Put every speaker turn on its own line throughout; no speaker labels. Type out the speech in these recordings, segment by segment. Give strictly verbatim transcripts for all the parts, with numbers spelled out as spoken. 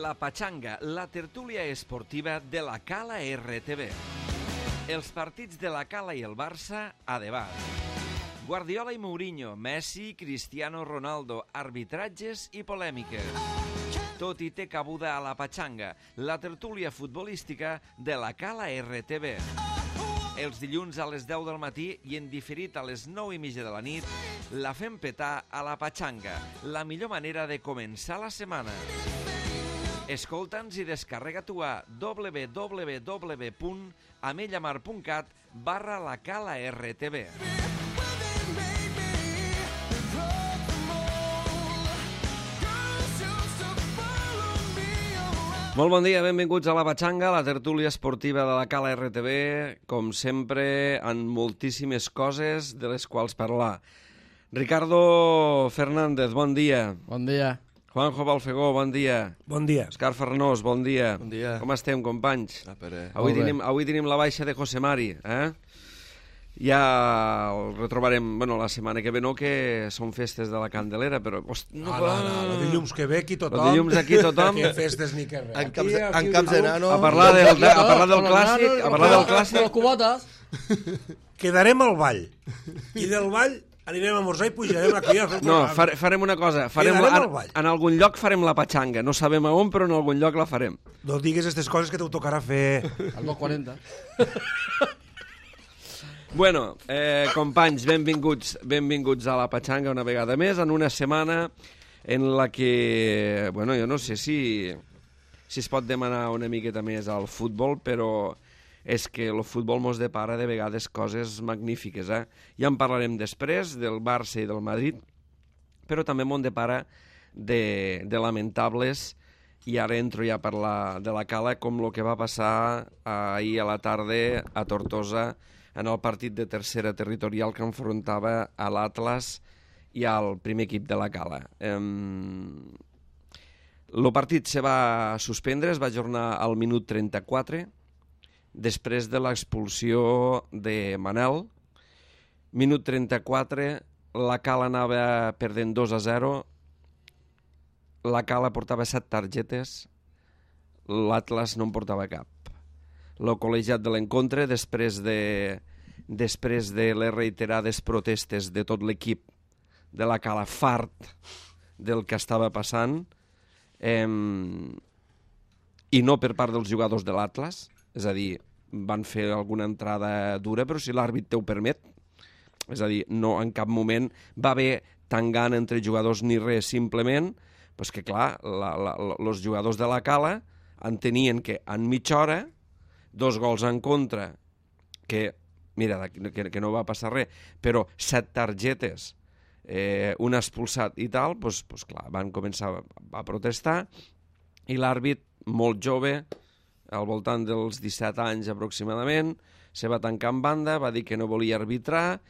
La Pachanga, la tertúlia esportiva de la Cala R T V. Els partits de la Cala i el Barça a debat. Guardiola i Mourinho, Messi, Cristiano Ronaldo, arbitratges i polèmiques. Tot hi té cabuda a La Pachanga, la tertúlia futbolística de la Cala R T V. Els dilluns a les deu del matí i en diferit a les nou i mitja de la nit, la fem petar a La Pachanga, la millor manera de començar la setmana. Escolta'ns i descarrega-t'ho a w w w punt amellamar punt cat barra la Cala R T V. Molt bon dia, benvinguts a La Pachanga, la tertúlia esportiva de la Cala R T V, com sempre, amb moltíssimes coses de les quals parlar. Ricardo Fernández, bon dia.
Bon dia.
Juanjo Balfegó, bon dia.
Bon dia.
Òscar Farnós, bon dia.
Bon dia.
Com estem, companys?
Ah, però...
Avui tenim, avui tenim la baixa de José Mari, eh? Ja el retrobarem, bueno, la setmana que ve no, que són festes de la Candelera, però... Host,
no, no, no, no, el dilluns que ve aquí tothom...
El dilluns aquí tothom...
Que festes ni que res.
En camps, aquí, en camps de nano...
A parlar del, a parlar del clàssic, a parlar del clàssic...
Les cubotes.
Quedarem al ball. I del ball anirem a esmorzar i pujarem aquí a fer...
No, fare, farem una cosa. Farem la, en, en algun lloc farem la Pachanga. No sabem a on, però en algun lloc la farem.
No digues aquestes coses que t'ho tocarà fer...
Al dos quaranta.
Bueno, eh, companys, benvinguts, benvinguts a la Pachanga una vegada més, en una setmana en la que, bueno, jo no sé si, si es pot demanar una miqueta més al futbol, però és que el futbol mos depara de vegades coses magnífiques, eh? Ja en parlarem després del Barça i del Madrid, però també m'on depara de, de lamentables, i ara entro ja a parlar de la Cala, com el que va passar ahir a la tarda a Tortosa, en el partit de tercera territorial que enfrontava a l'Atlas i al primer equip de la Cala. El partit se va suspendre, es va ajornar al minut trenta-quatre, després de l'expulsió de Manel. Minut trenta-quatre, la Cala anava perdent dos a zero, la Cala portava set targetes, l'Atlas no en portava cap. El col·legiat de l'encontre, després de, després de les reiterades protestes de tot l'equip de la Cala, fart del que estava passant, eh, i no per part dels jugadors de l'Atlas, és a dir, van fer alguna entrada dura, però si l'àrbit te ho permet, és a dir, no en cap moment va haver tangant entre jugadors ni res, simplement, doncs que clar, els jugadors de la Cala entenien que en mitja hora dos gols en contra, que, mira, que, que no va passar res, però set targetes, eh, un expulsat i tal, doncs, doncs clar, van començar a, a protestar, i l'àrbit, molt jove, al voltant dels disset anys aproximadament, se va tancar en banda, va dir que no volia arbitrar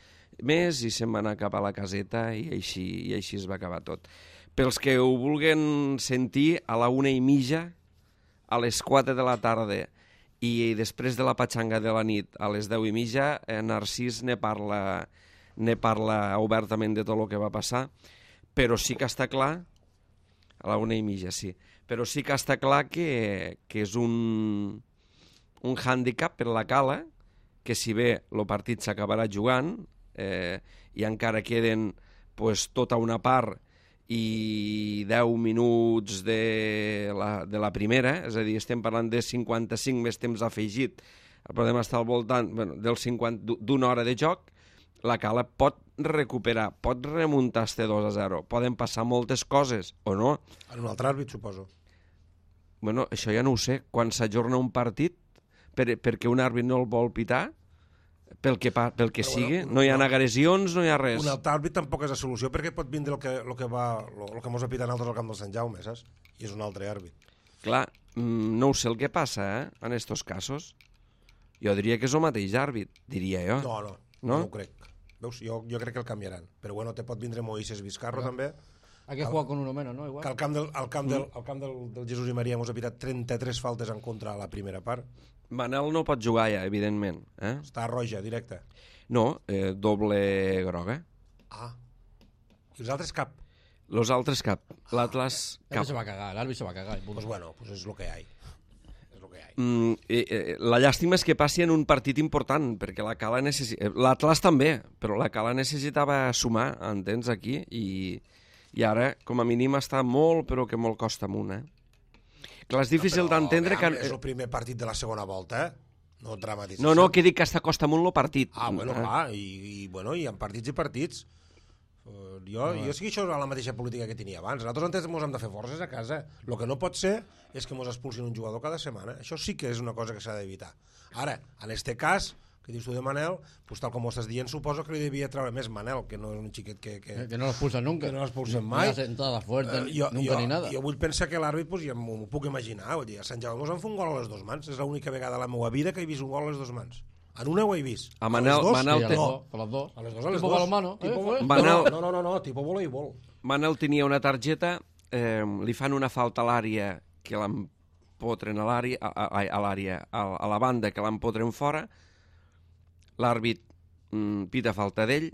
més i se'n va anar cap a la caseta i així, i així es va acabar tot. Pels que ho vulguen sentir, a la una i mitja, a les quatre de la tarda, i després de la Pachanga de la nit a les deu i mitja, eh, Narcís ne parla, ne parla obertament de tot el que va passar, però sí que està clar, a la una i mitja, sí, però sí que està clar que, que és un, un hàndicap per la Cala, que si bé el partit s'acabarà jugant, eh, i encara queden pues, tota una part i deu minuts de la, de la primera, és a dir, estem parlant de cinquanta-cinc més temps afegit, podem estar al voltant bueno, del cinquanta, d'una hora de joc, la Cala pot recuperar, pot remuntar este dos a zero, poden passar moltes coses, o no?
En un altre àrbit, suposo.
Bueno, això ja no ho sé, quan s'ajorna un partit, per, perquè un àrbit no el vol pitar, pel que, pa, pel que
però,
sigui,
bueno,
no hi ha
no,
agressions, no hi ha res.
Un altre àrbit tampoc és la solució, perquè pot vindre el que, el que, va, el, el que mos ha pitat nosaltres al camp del Sant Jaume, saps? I és un altre àrbit.
Clar, no ho sé el que passa, eh, en estos casos. Jo diria que és el mateix àrbit, diria jo.
No, no, no, no ho crec. Veus, jo, jo crec que el canviaran. Però bueno, te pot vindre Moisés Vizcarro, no. també.
Hay que jugar con uno menos, ¿no? Igual.
Que al camp, del, al camp, del, al camp del, del Jesús i Maria mos ha pitat trenta-tres faltes en contra a la primera part.
Manel no pot jugar ja, evidentment. Eh?
Està roja, directe.
No, eh, doble groga.
Ah. I els altres cap?
Los altres cap. L'Atlas cap.
L'àrbit se va cagar, l'àrbit se va cagar.
Pues bueno, pues és lo que hi ha. És lo que hi ha.
Mm, eh, eh, la llàstima és que passi en un partit important, perquè la Cala necessita... L'Atlas també, però la Cala necessitava sumar, entens, aquí, i, i ara, com a mínim, està molt, però que molt costa amunt, eh? Clar, és difícil
No,
d'entendre que...
És el primer partit de la segona volta, eh? No dramatitzem.
No, no, que dic que està costa amunt el partit.
Ah, bueno,
eh?
clar, i, i, bueno, hi ha partits i partits. Uh, jo, no, jo sí que això és la mateixa política que tenia abans. Nosaltres antes ens hem de fer forces a casa. El que no pot ser és que ens expulsin un jugador cada setmana. Això sí que és una cosa que s'ha d'evitar. Ara, en este cas, que dius tu de Manel, pues tal com ho estàs dient, suposo que li devia treure més Manel, que no és un xiquet que... Que,
Que no l'expulsen nunca.
que no l'expulsen mai.
Ni la sentada fuerte,
Eh, jo,
nunca
jo,
ni nada.
Jo vull pensar que l'àrbit, pues, ja m'ho puc imaginar. Vull dir, a Sant Jaume em fa un gol a les dues mans. És l'única vegada a la meva vida que he vist un gol a les dues mans. En una ho he vist.
A Manel-
les dos,
Manel
Sí, a
té-
les
no.
dos, a les dos.
A les dos, a les
Tipo
dos.
balonmano, eh,
Tipo,
fue.
Manel-
no, no, no, no, tipo voleibol.
Manel tenia una targeta, eh, li fan una falta a l'àrea que l'empotren a l'àrea, a, a, a l'àrea, a, a la banda que l'empotren fora, l'àrbit mm, pita falta d'ell,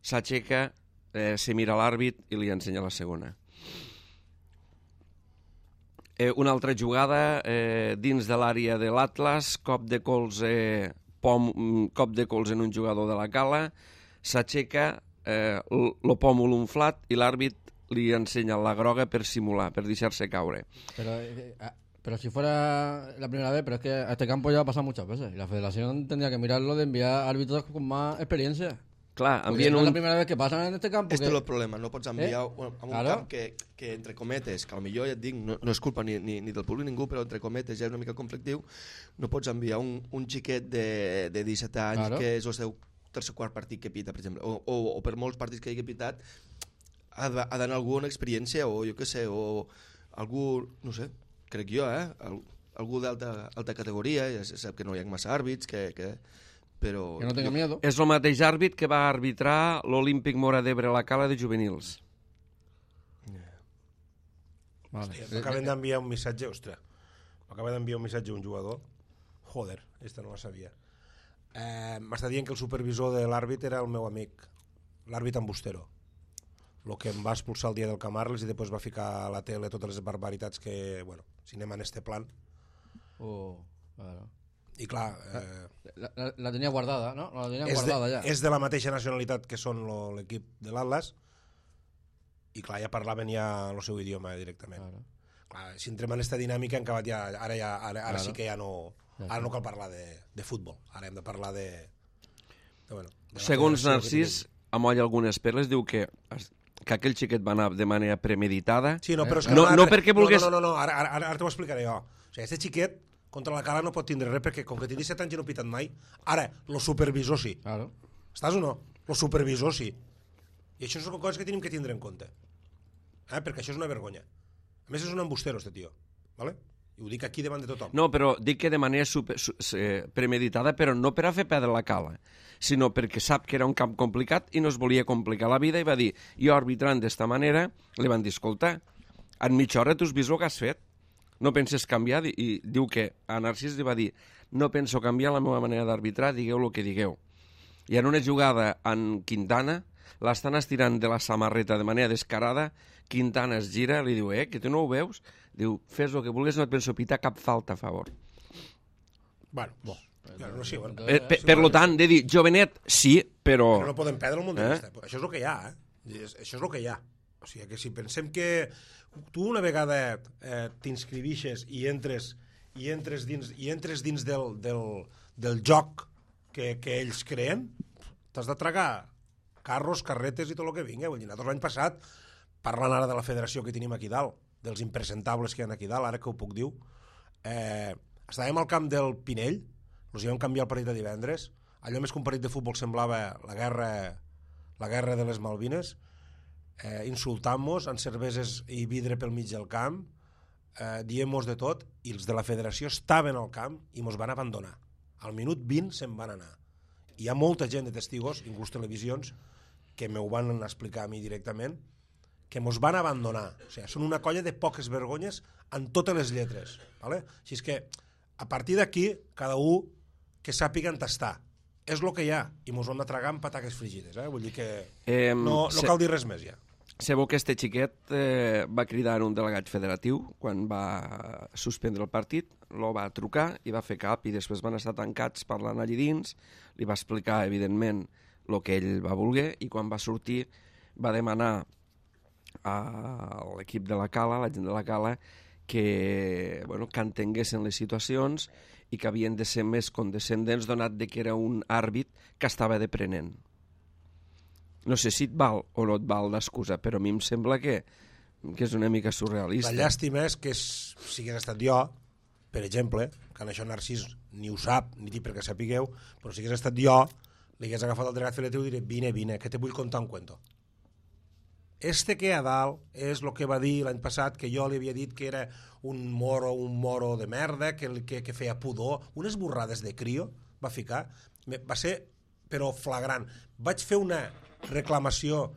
s'aixeca, eh, se mira l'àrbit i li ensenya la segona. Eh, una altra jugada eh, dins de l'àrea de l'Atlas, cop de colze, pom, mm, cop de colze en un jugador de la Cala, s'aixeca, eh, l- lo pòmul inflat i l'àrbit li ensenya la groga per simular, per deixar-se caure.
Pero, eh, ah, pero si fuera la primera vez, pero es que a este campo ya ha pasado muchas veces. Y la federación tendría que mirarlo de enviar árbitros con más experiencia.
Clar,
Porque
envien
no es la
un...
primera vez que pasan en este campo.
Este
que-
és el problema, no pots enviar
Eh?
eh? a un
Claro.
camp que, que, entre cometes, que potser ja et dic, no, no és culpa ni, ni, ni del públic ningú, però entre cometes ja és una mica conflictiu, no pots enviar un, un xiquet de, de disset anys
Claro.
que és el seu tercer quart partit que pita, per exemple, o, o, o per molts partits que hagi pitat, ha de- ha d'anar algú amb experiència, o jo què sé, o algú, no sé, crec jo, eh? Al, algú d'alta alta categoria, ja se sap que no hi ha massa àrbits, que, que, però...
Que no tenga
jo-
miedo.
És el mateix àrbit que va arbitrar l'Olímpic Mora d'Ebre a la Cala de juvenils.
Vale.
Hòstia, m'acaben d'enviar un missatge, ostres, m'acaben d'enviar un missatge a un jugador, joder, esta no la sabia. Eh, M'està dient que el supervisor de l'àrbit era el meu amic, l'àrbit Ambustero, el que em va expulsar el dia del Camarles i després va ficar a la tele totes les barbaritats que, bueno, si anem en este plan.
Oh, claro.
I clar, eh,
La, la- la tenía guardada, ¿no? La tenía
és,
guardada
de,
ya.
és de la mateixa nacionalitat que són lo- l'equip de l'Atlas i clar, ja parlaven ja el seu idioma directament.
Claro.
Clar, si entrem en aquesta dinàmica en acabat ja, ara, ja, ara, ara
Claro.
sí que ja no,
Ja
ara
està.
no cal parlar de, de futbol, ara hem de parlar de, de, bueno, de la
Segons
federació que
Narcís,
tenim.
amolla algunes perles, diu que, es- que aquell xiquet va anar de manera premeditada.
Sí, no, però és que
No-
ara-
no perquè volgués-
No, no, no, no ara, ara, ara t'ho explicaré jo. O sigui, este xiquet contra la Cala no pot tindre res perquè com que tingui set anys i no ha pitat mai, ara, lo supervisor sí.
Claro.
Estàs o no? Lo supervisor sí. I això són coses que tenim que tindre en compte. Eh? Perquè això és una vergonya. A més, és un embustero, este tio. ¿Vale? I ho dic aquí davant de tothom.
No, però dic que de manera super, su, eh, premeditada, però no per a fer perdre la Cala, sinó perquè sap que era un camp complicat i no es volia complicar la vida i va dir, jo arbitrant d'esta manera, li van dir, escolta, en mitja hora tu has vist el que has fet, no penses canviar, i, i diu que a Narcís li va dir, no penso canviar la meva manera d'arbitrar, digueu el que digueu. I en una jugada en Quintana, l'estan estirant de la samarreta de manera descarada, Quintana es gira, li diu, eh, que tu no ho veus? Diu, fes el que vulguis, no et penso pitar cap falta a favor.
Bueno, bo. Ja, no sé, bueno.
Eh, per, per lo tant, de dir, jovenet, sí, però...
Però no podem perdre el munt de
Eh?
vista. Això és el que hi ha, eh? És- Això és el que hi ha. O sigui, que si pensem que tu una vegada eh, t'inscrivixes i entres i entres dins, i entres dins del, del, del joc que, que ells creen, t'has de tragar carros, carretes i tot el que vinga. Vull dir, nosaltres l'any passat, parlant ara de la federació que tenim aquí dalt, dels impresentables que hi ha aquí dalt, ara que ho puc dir, eh, estàvem al camp del Pinell, ens hi vam canviar el partit de divendres, allò més que un partit de futbol semblava la guerra, la guerra de les Malvines, eh, insultant-nos amb cerveses i vidre pel mig del camp, eh, dient-nos de tot, i els de la federació estaven al camp i ens van abandonar. Al minut vint se'n van anar. Hi ha molta gent de testigos, inclús televisions, que m'ho van explicar a mi directament, que mos van abandonar. O sigui, són una colla de poques vergonyes en totes les lletres. ¿Vale? Així és que, a partir d'aquí, cada un que sàpiga on està. És el que hi ha, i mos ho hem de tragar amb pataques frigides. Eh? Vull dir que
Eh,
no, no
se-
cal dir res més ja.
Sabeu que este xiquet eh, va cridar un delegat federatiu quan va suspendre el partit, lo va trucar i va fer cap i després van estar tancats parlant allí dins, li va explicar evidentment el que ell va voler i quan va sortir va demanar a l'equip de la Cala, la gent de la Cala, que, bueno, que entenguessin les situacions i que havien de ser més condescendents donat de que era un àrbit que estava deprenent. No sé si et val o no et val l'excusa, però a mi em sembla que, que és una mica surrealista.
La llàstima és que és, si hagués estat jo, per exemple, que en això Narcís ni ho sap, ni té perquè sapigueu, però si hagués estat jo, li hagués agafat el delegat federatiu i diré, vine, vine, que te vull contar un cuento. Este que a dalt és el que va dir l'any passat, que jo li havia dit que era un moro, un moro de merda, que, que, que feia pudor, unes borrades de crio, va ficar, va ser, però flagrant. Vaig fer una reclamació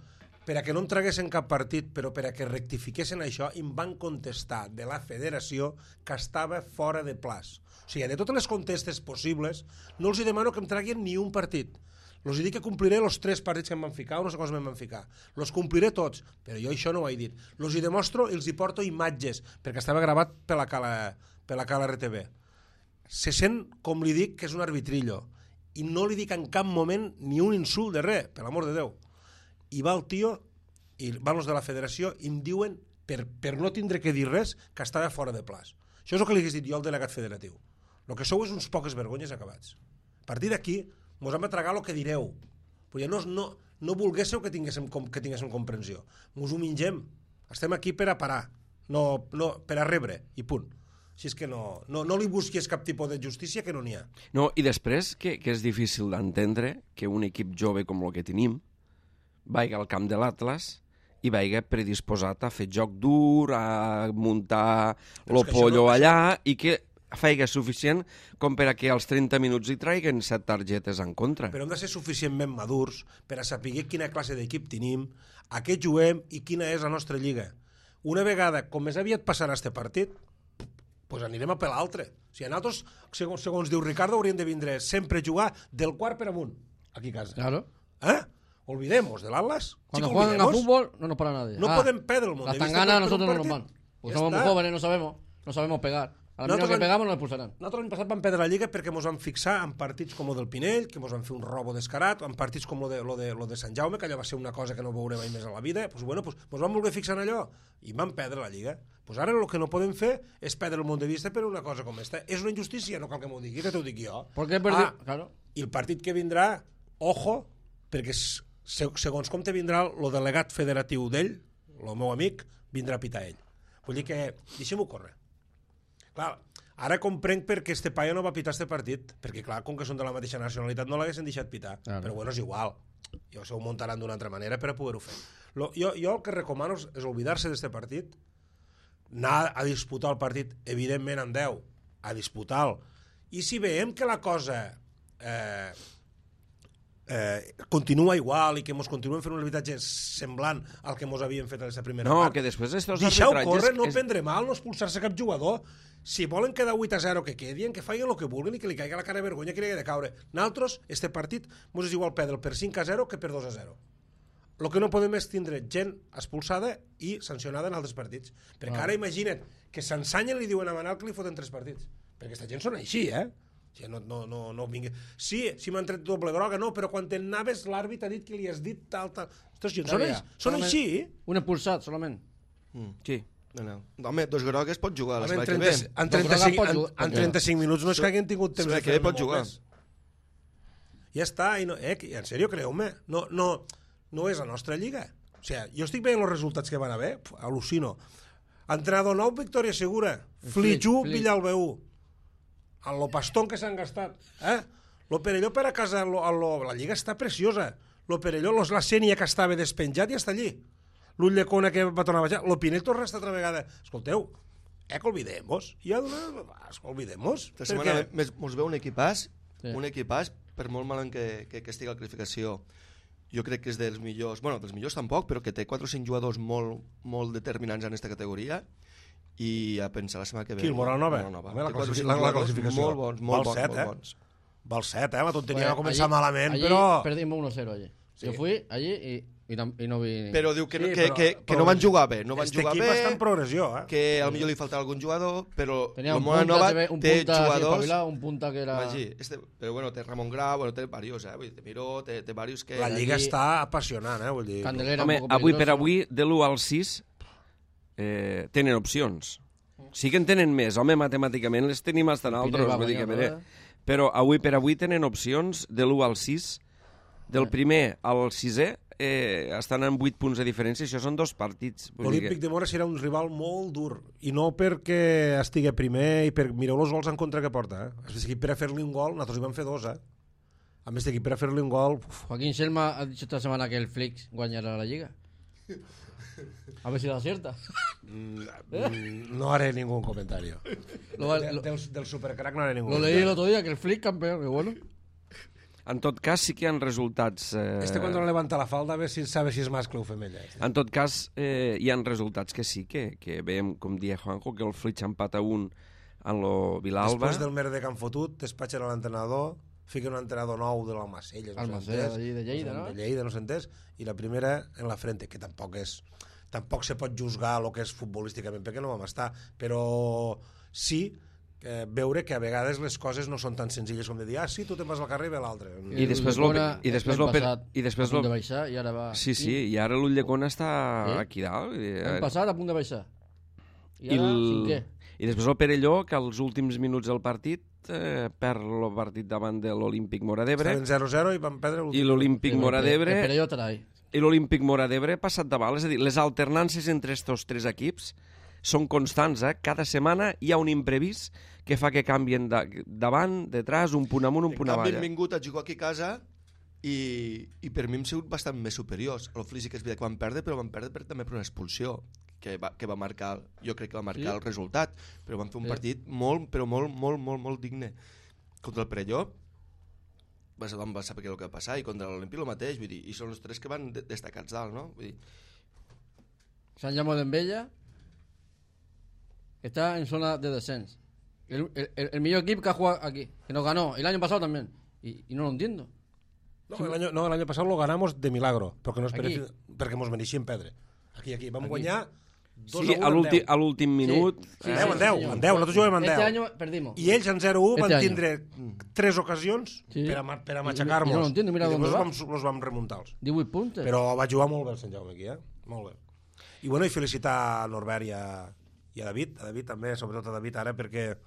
per a que no em traguessin cap partit, però per a que rectifiquessin això, i em van contestar de la federació que estava fora de plaç. O sigui, de totes les contestes possibles, no els demano que em traguin ni un partit. Els dic que compliré els tres partits que em van ficar, o no sé cosa em van ficar. Els compliré tots, però jo això no ho he dit. Els hi demostro i els hi porto imatges, perquè estava gravat per la Cala, per la Cala R T V. Se sent, com li dic, que és un arbitrillo. I no li dic en cap moment ni un insult de res, per l'amor de Déu. I va el tio, i van els de la federació, i em diuen, per, per no tindre que dir res, que estava fora de plaç. Això és el que li hagués dit jo al delegat federatiu. El que sou és uns poques vergonyes acabats. A partir d'aquí, mos hem de tragar el que direu. Però ja no, no, no volguéssiu que tinguéssim, que tinguéssim comprensió. Mos ho mingem. Estem aquí per a parar, no, no, per a rebre, i punt. Si és que no, no, no li busquis cap tipus de justícia que no n'hi ha.
No, i després, que, que és difícil d'entendre que un equip jove com el que tenim vaiga al camp de l'Atlas i vaiga predisposat a fer joc dur, a muntar lo pollo no, allà, i que feiga suficient com per a que als trenta minuts hi traiguen set targetes en contra.
Però hem de ser suficientment madurs per a saber quina classe d'equip tenim, a què juguem i quina és la nostra lliga. Una vegada, com més aviat passarà este partit, pues anirem a per l'altre. O sigui, nosaltres, segons, segons diu Ricardo, hauríem de vindre sempre a jugar del quart per amunt, aquí a casa.
Claro.
¿Eh? Olvidemos del Atlas.
Cuando
sí,
juegan a fútbol no nos para nadie.
No
ah,
podem perdre el mundo.
Las tanganas a nosotros no nos van. Porque somos muy jóvenes, no sabemos, no sabemos pegar. A la que pegamos nos expulsarán.
Nosaltres l'any passat vam perdre la Lliga perquè ens vam fixar en partits com el del Pinell, que ens van fer un robo descarat, en partits com lo de, lo de, lo de Sant Jaume, que allò va ser una cosa que no veurem mai més a la vida. Pues, bueno, pues, ens vam voler fixar en allò i vam perdre la Lliga. Pues ara el que no podem fer és perdre el món de vista per una cosa com esta. És una injustícia, no cal que m'ho digui, que t'ho dic jo.
Porque perdi...
Ah,
claro.
I el partit que vindrà, ojo, perquè segons com te vindrà el delegat federatiu d'ell, el meu amic, vindrà a pitar ell. Vull dir que deixem-ho córrer. Clar, ara comprenc perquè este paio no va pitar este partit, perquè clar, com que són de la mateixa nacionalitat no l'haguessin deixat pitar, claro. Però bueno, és igual, jo se ho muntaran d'una altra manera per a poder-ho fer. Lo, jo, jo el que recomano és, és oblidar-se d'este partit, anar a disputar el partit, evidentment en deu, a disputar-lo, i si veiem que la cosa eh, eh, continua igual i que ens continuem fent un arbitratge semblant al que ens havíem fet a aquesta primera
no,
part,
que després estos
deixeu
arbitratges...
córrer, no
és...
prendre mal, no expulsar-se cap jugador. Si volen quedar vuit a zero, que quedin, que facin el que vulguin i que li caigui la cara de vergonya que li hagi de caure. Nosaltres, este partit, ens és igual perdre'l per cinc a zero que per dos a zero. El que no podem és tindre gent expulsada i sancionada en altres partits. Perquè ah. ara imagina't que s'ensanyen i li diuen a Manal que li foten tres partits. Perquè aquesta gent són així, eh? O sigui, no, no, no, no vingui... Sí, si m'han tret doble groga, no, però quan t'anaves l'àrbit ha dit que li has dit tal, tal... Ostres, gent, són, ja. són així?
Un expulsat, solament.
Mm. Sí.
No, no. Home, dos grogues pot jugar a l'espai que
ve. En trenta-cinc, en, en trenta-cinc minuts no és que hagin tingut temps
de fer pot jugar.
Ja està, i no, eh, en sèrio, creu-me, no, no, no és la nostra lliga. O sigui, jo estic veient els resultats que van haver, al·lucino. Entrenador nou, victòria segura. Flitxú, Villalbeu. En lo pastón que s'han gastat. Eh? Lo Perelló per a casa, lo, lo, la lliga està preciosa. Lo Perelló, la Sènia que estava despenjat i està allí. L'Ull de Cona que va tornar a baixar, lo Pinell torna a estar altra vegada. Escolteu, eh, que olvidemos, ja d'una... olvidemos.
Esta setmana mos veu un equipàs, sí. un equipàs, per molt malament que, que, que estigui a la classificació, jo crec que és dels millors, bueno, dels millors tampoc, però que té quatre o cinc jugadors molt, molt determinants en aquesta categoria, i a pensar la setmana que ve...
Qui, el Moral Nova?
Moral Nova.
La, classific la, la classificació.
Molt bons, molt
Val
bons,
set,
molt
eh?
bons.
Val set, eh? La tonteria va començar
allí,
malament,
allí
però...
perdimos uno cero allí.
Sí.
Yo fui allí y, y, tam- y no vi...
Però diu que,
Sí,
no, que,
però-
que, que
però
no van jugar bé. No van
Este
jugar
equip
bé,
està en progressió, eh?
que potser li faltava algun jugador, però
Tenía
la
un
Mona
punta,
Nova
se ve, un
té
punta así
jugadors...
espabilado, un punta que era...
Imagí, este, però bueno, té Ramon Grau, bueno, té varios, eh? Vull dir, té Miró, té, té varios que...
La Lliga
allí-
està apassionant, eh? Vull dir...
Candelera
Home,
un poco
avui per
peligroso.
avui, de l'u al sis, eh, tenen opcions. Sí que en tenen més, home, matemàticament les tenim bastant altres,
va
vull dir que
guanyar,
bé. Però avui per avui tenen opcions de l'u al sis, del primer al sisè, eh, estan en vuit punts de diferència, això són dos partits. Vull dir
L'Olímpic
que...
de Mora serà un rival molt dur, i no perquè estigui primer, i per... mireu els gols en contra que porta, eh? Aquest equip per a fer-li un gol, nosaltres hi vam fer dos, eh? A més d'aquí per a fer-li un gol... Uf,
Joaquín Selma ha dicho esta semana que el Flix guañará la Liga. A ver si la acierta.
mm, no haré ningún comentario.
Lo,
De,
lo-
del, del Supercrack no haré ningún
lo leí el otro día, que el Flix campeón, que bueno.
En tot cas, sí que hi ha resultats... Eh...
Este cuando no levanta la falda a ver si sabe si és mascle o femella. Este.
En tot cas, eh, hi ha resultats que sí, que, que veiem, com dia Juanjo, que el Flix empata un en lo Vilalba.
Després del merder que han fotut, despatxen a l'entrenador, fiquen un entrenador nou de l'Almacelles, no
Almacelles,
s'entès,
allí de Lleida, no?
De Lleida, no s'entès, i la primera en la frente, que tampoc és... Tampoc se pot juzgar el que és futbolísticament, perquè no vam estar, però sí eh, veure que a vegades les coses no són tan senzilles com de dir, ah, sí, tu te'n vas al carrer i ve l'altre.
I després lo- i després lo- i després
a punt
lo-
de baixar i ara va...
Sí, sí, i ara l'Ulldecona està
Sí.
aquí dalt. I,
L'any passat a punt de baixar. I
I,
ara,
el...
cinquè.
I després el Perelló, que als últims minuts del partit eh, perd el partit davant de l'Olímpic Mora d'Ebre,
Estaven zero zero i van perdre
i
l'últim.
l'Olímpic Mora d'Ebre
Però jo estarà ahí.
i l'Olímpic Mora d'Ebre ha passat davant. És a dir, les alternances entre estos tres equips són constants, eh? Cada setmana hi ha un imprevist que fa que canvien de, davant, detrás, un punt amunt, un
En
punt
canvi,
avall.
han
eh?
vingut a jugar aquí a casa i, i per mi hem sigut bastant més superiors. El Flix sí que és veritat que van perdre, però van perdre per, també per una expulsió que va, que va marcar, jo crec que va marcar
Sí.
el resultat, però van fer un
Sí.
partit molt, però molt, molt, molt, molt digne. Contra el Perelló va ser, va saber què el que va passar, i contra l'Olímpic el mateix, vull dir, i són els tres que van de, destacats dalt, no? Vull dir,
San Llamo de Embella está en zona de descenso. El, el, el, el mejor equipo que ha jugado aquí, que nos ganó el año pasado también. Y, y no lo entiendo.
No, el año, no, el año pasado lo ganamos de milagro, perquè, no es
Aquí.
mereci, perquè mos mereixíem perdre. Aquí, aquí. Vam
Aquí.
guanyar dos
Sí,
a
a
un en
l'últim
deu.
a l'últim minut.
Sí,
En
sí,
deu, en deu,
senyor.
en deu. Nosaltres juguem en
Este
deu.
año perdimos.
I ells en zero a u van
Este año.
tindre tres ocasions
Sí.
per a, ma- per a
I-
machacar-nos.
i no lo entiendo, mira
I
dónde
després
va.
vam, los vam remuntar.
divuit puntos.
Però va jugar molt bé el Sant Jaume aquí, eh? Molt bé. I bueno, i felicitar a Norbert i a, i a David, a David també, sobretot a David ara, perquè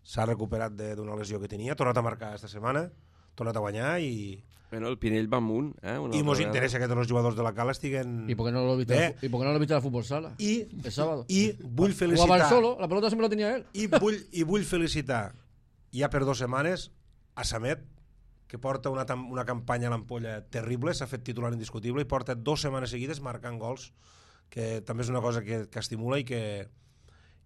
s'ha recuperat de- d'una lesió que tenia, ha tornat a marcar aquesta setmana, ha tornat a guanyar i,
Bueno, el Pinell va amunt. Eh? Una
i
altra
mos
vegada.
interessa que tots els jugadors de la Cala estiguen...
¿Y por qué no lo viste?
Bé.
¿Y por qué no lo viste a la fútbol sala?
I,
El sábado.
i vull
Jugaba
felicitar...
él solo, la pelota siempre la tenía él.
I vull, I vull felicitar ja per dues setmanes a Samet, que porta una, tam- una campanya a l'ampolla terrible, s'ha fet titular indiscutible i porta dues setmanes seguides marcant gols, que també és una cosa que, que estimula i que,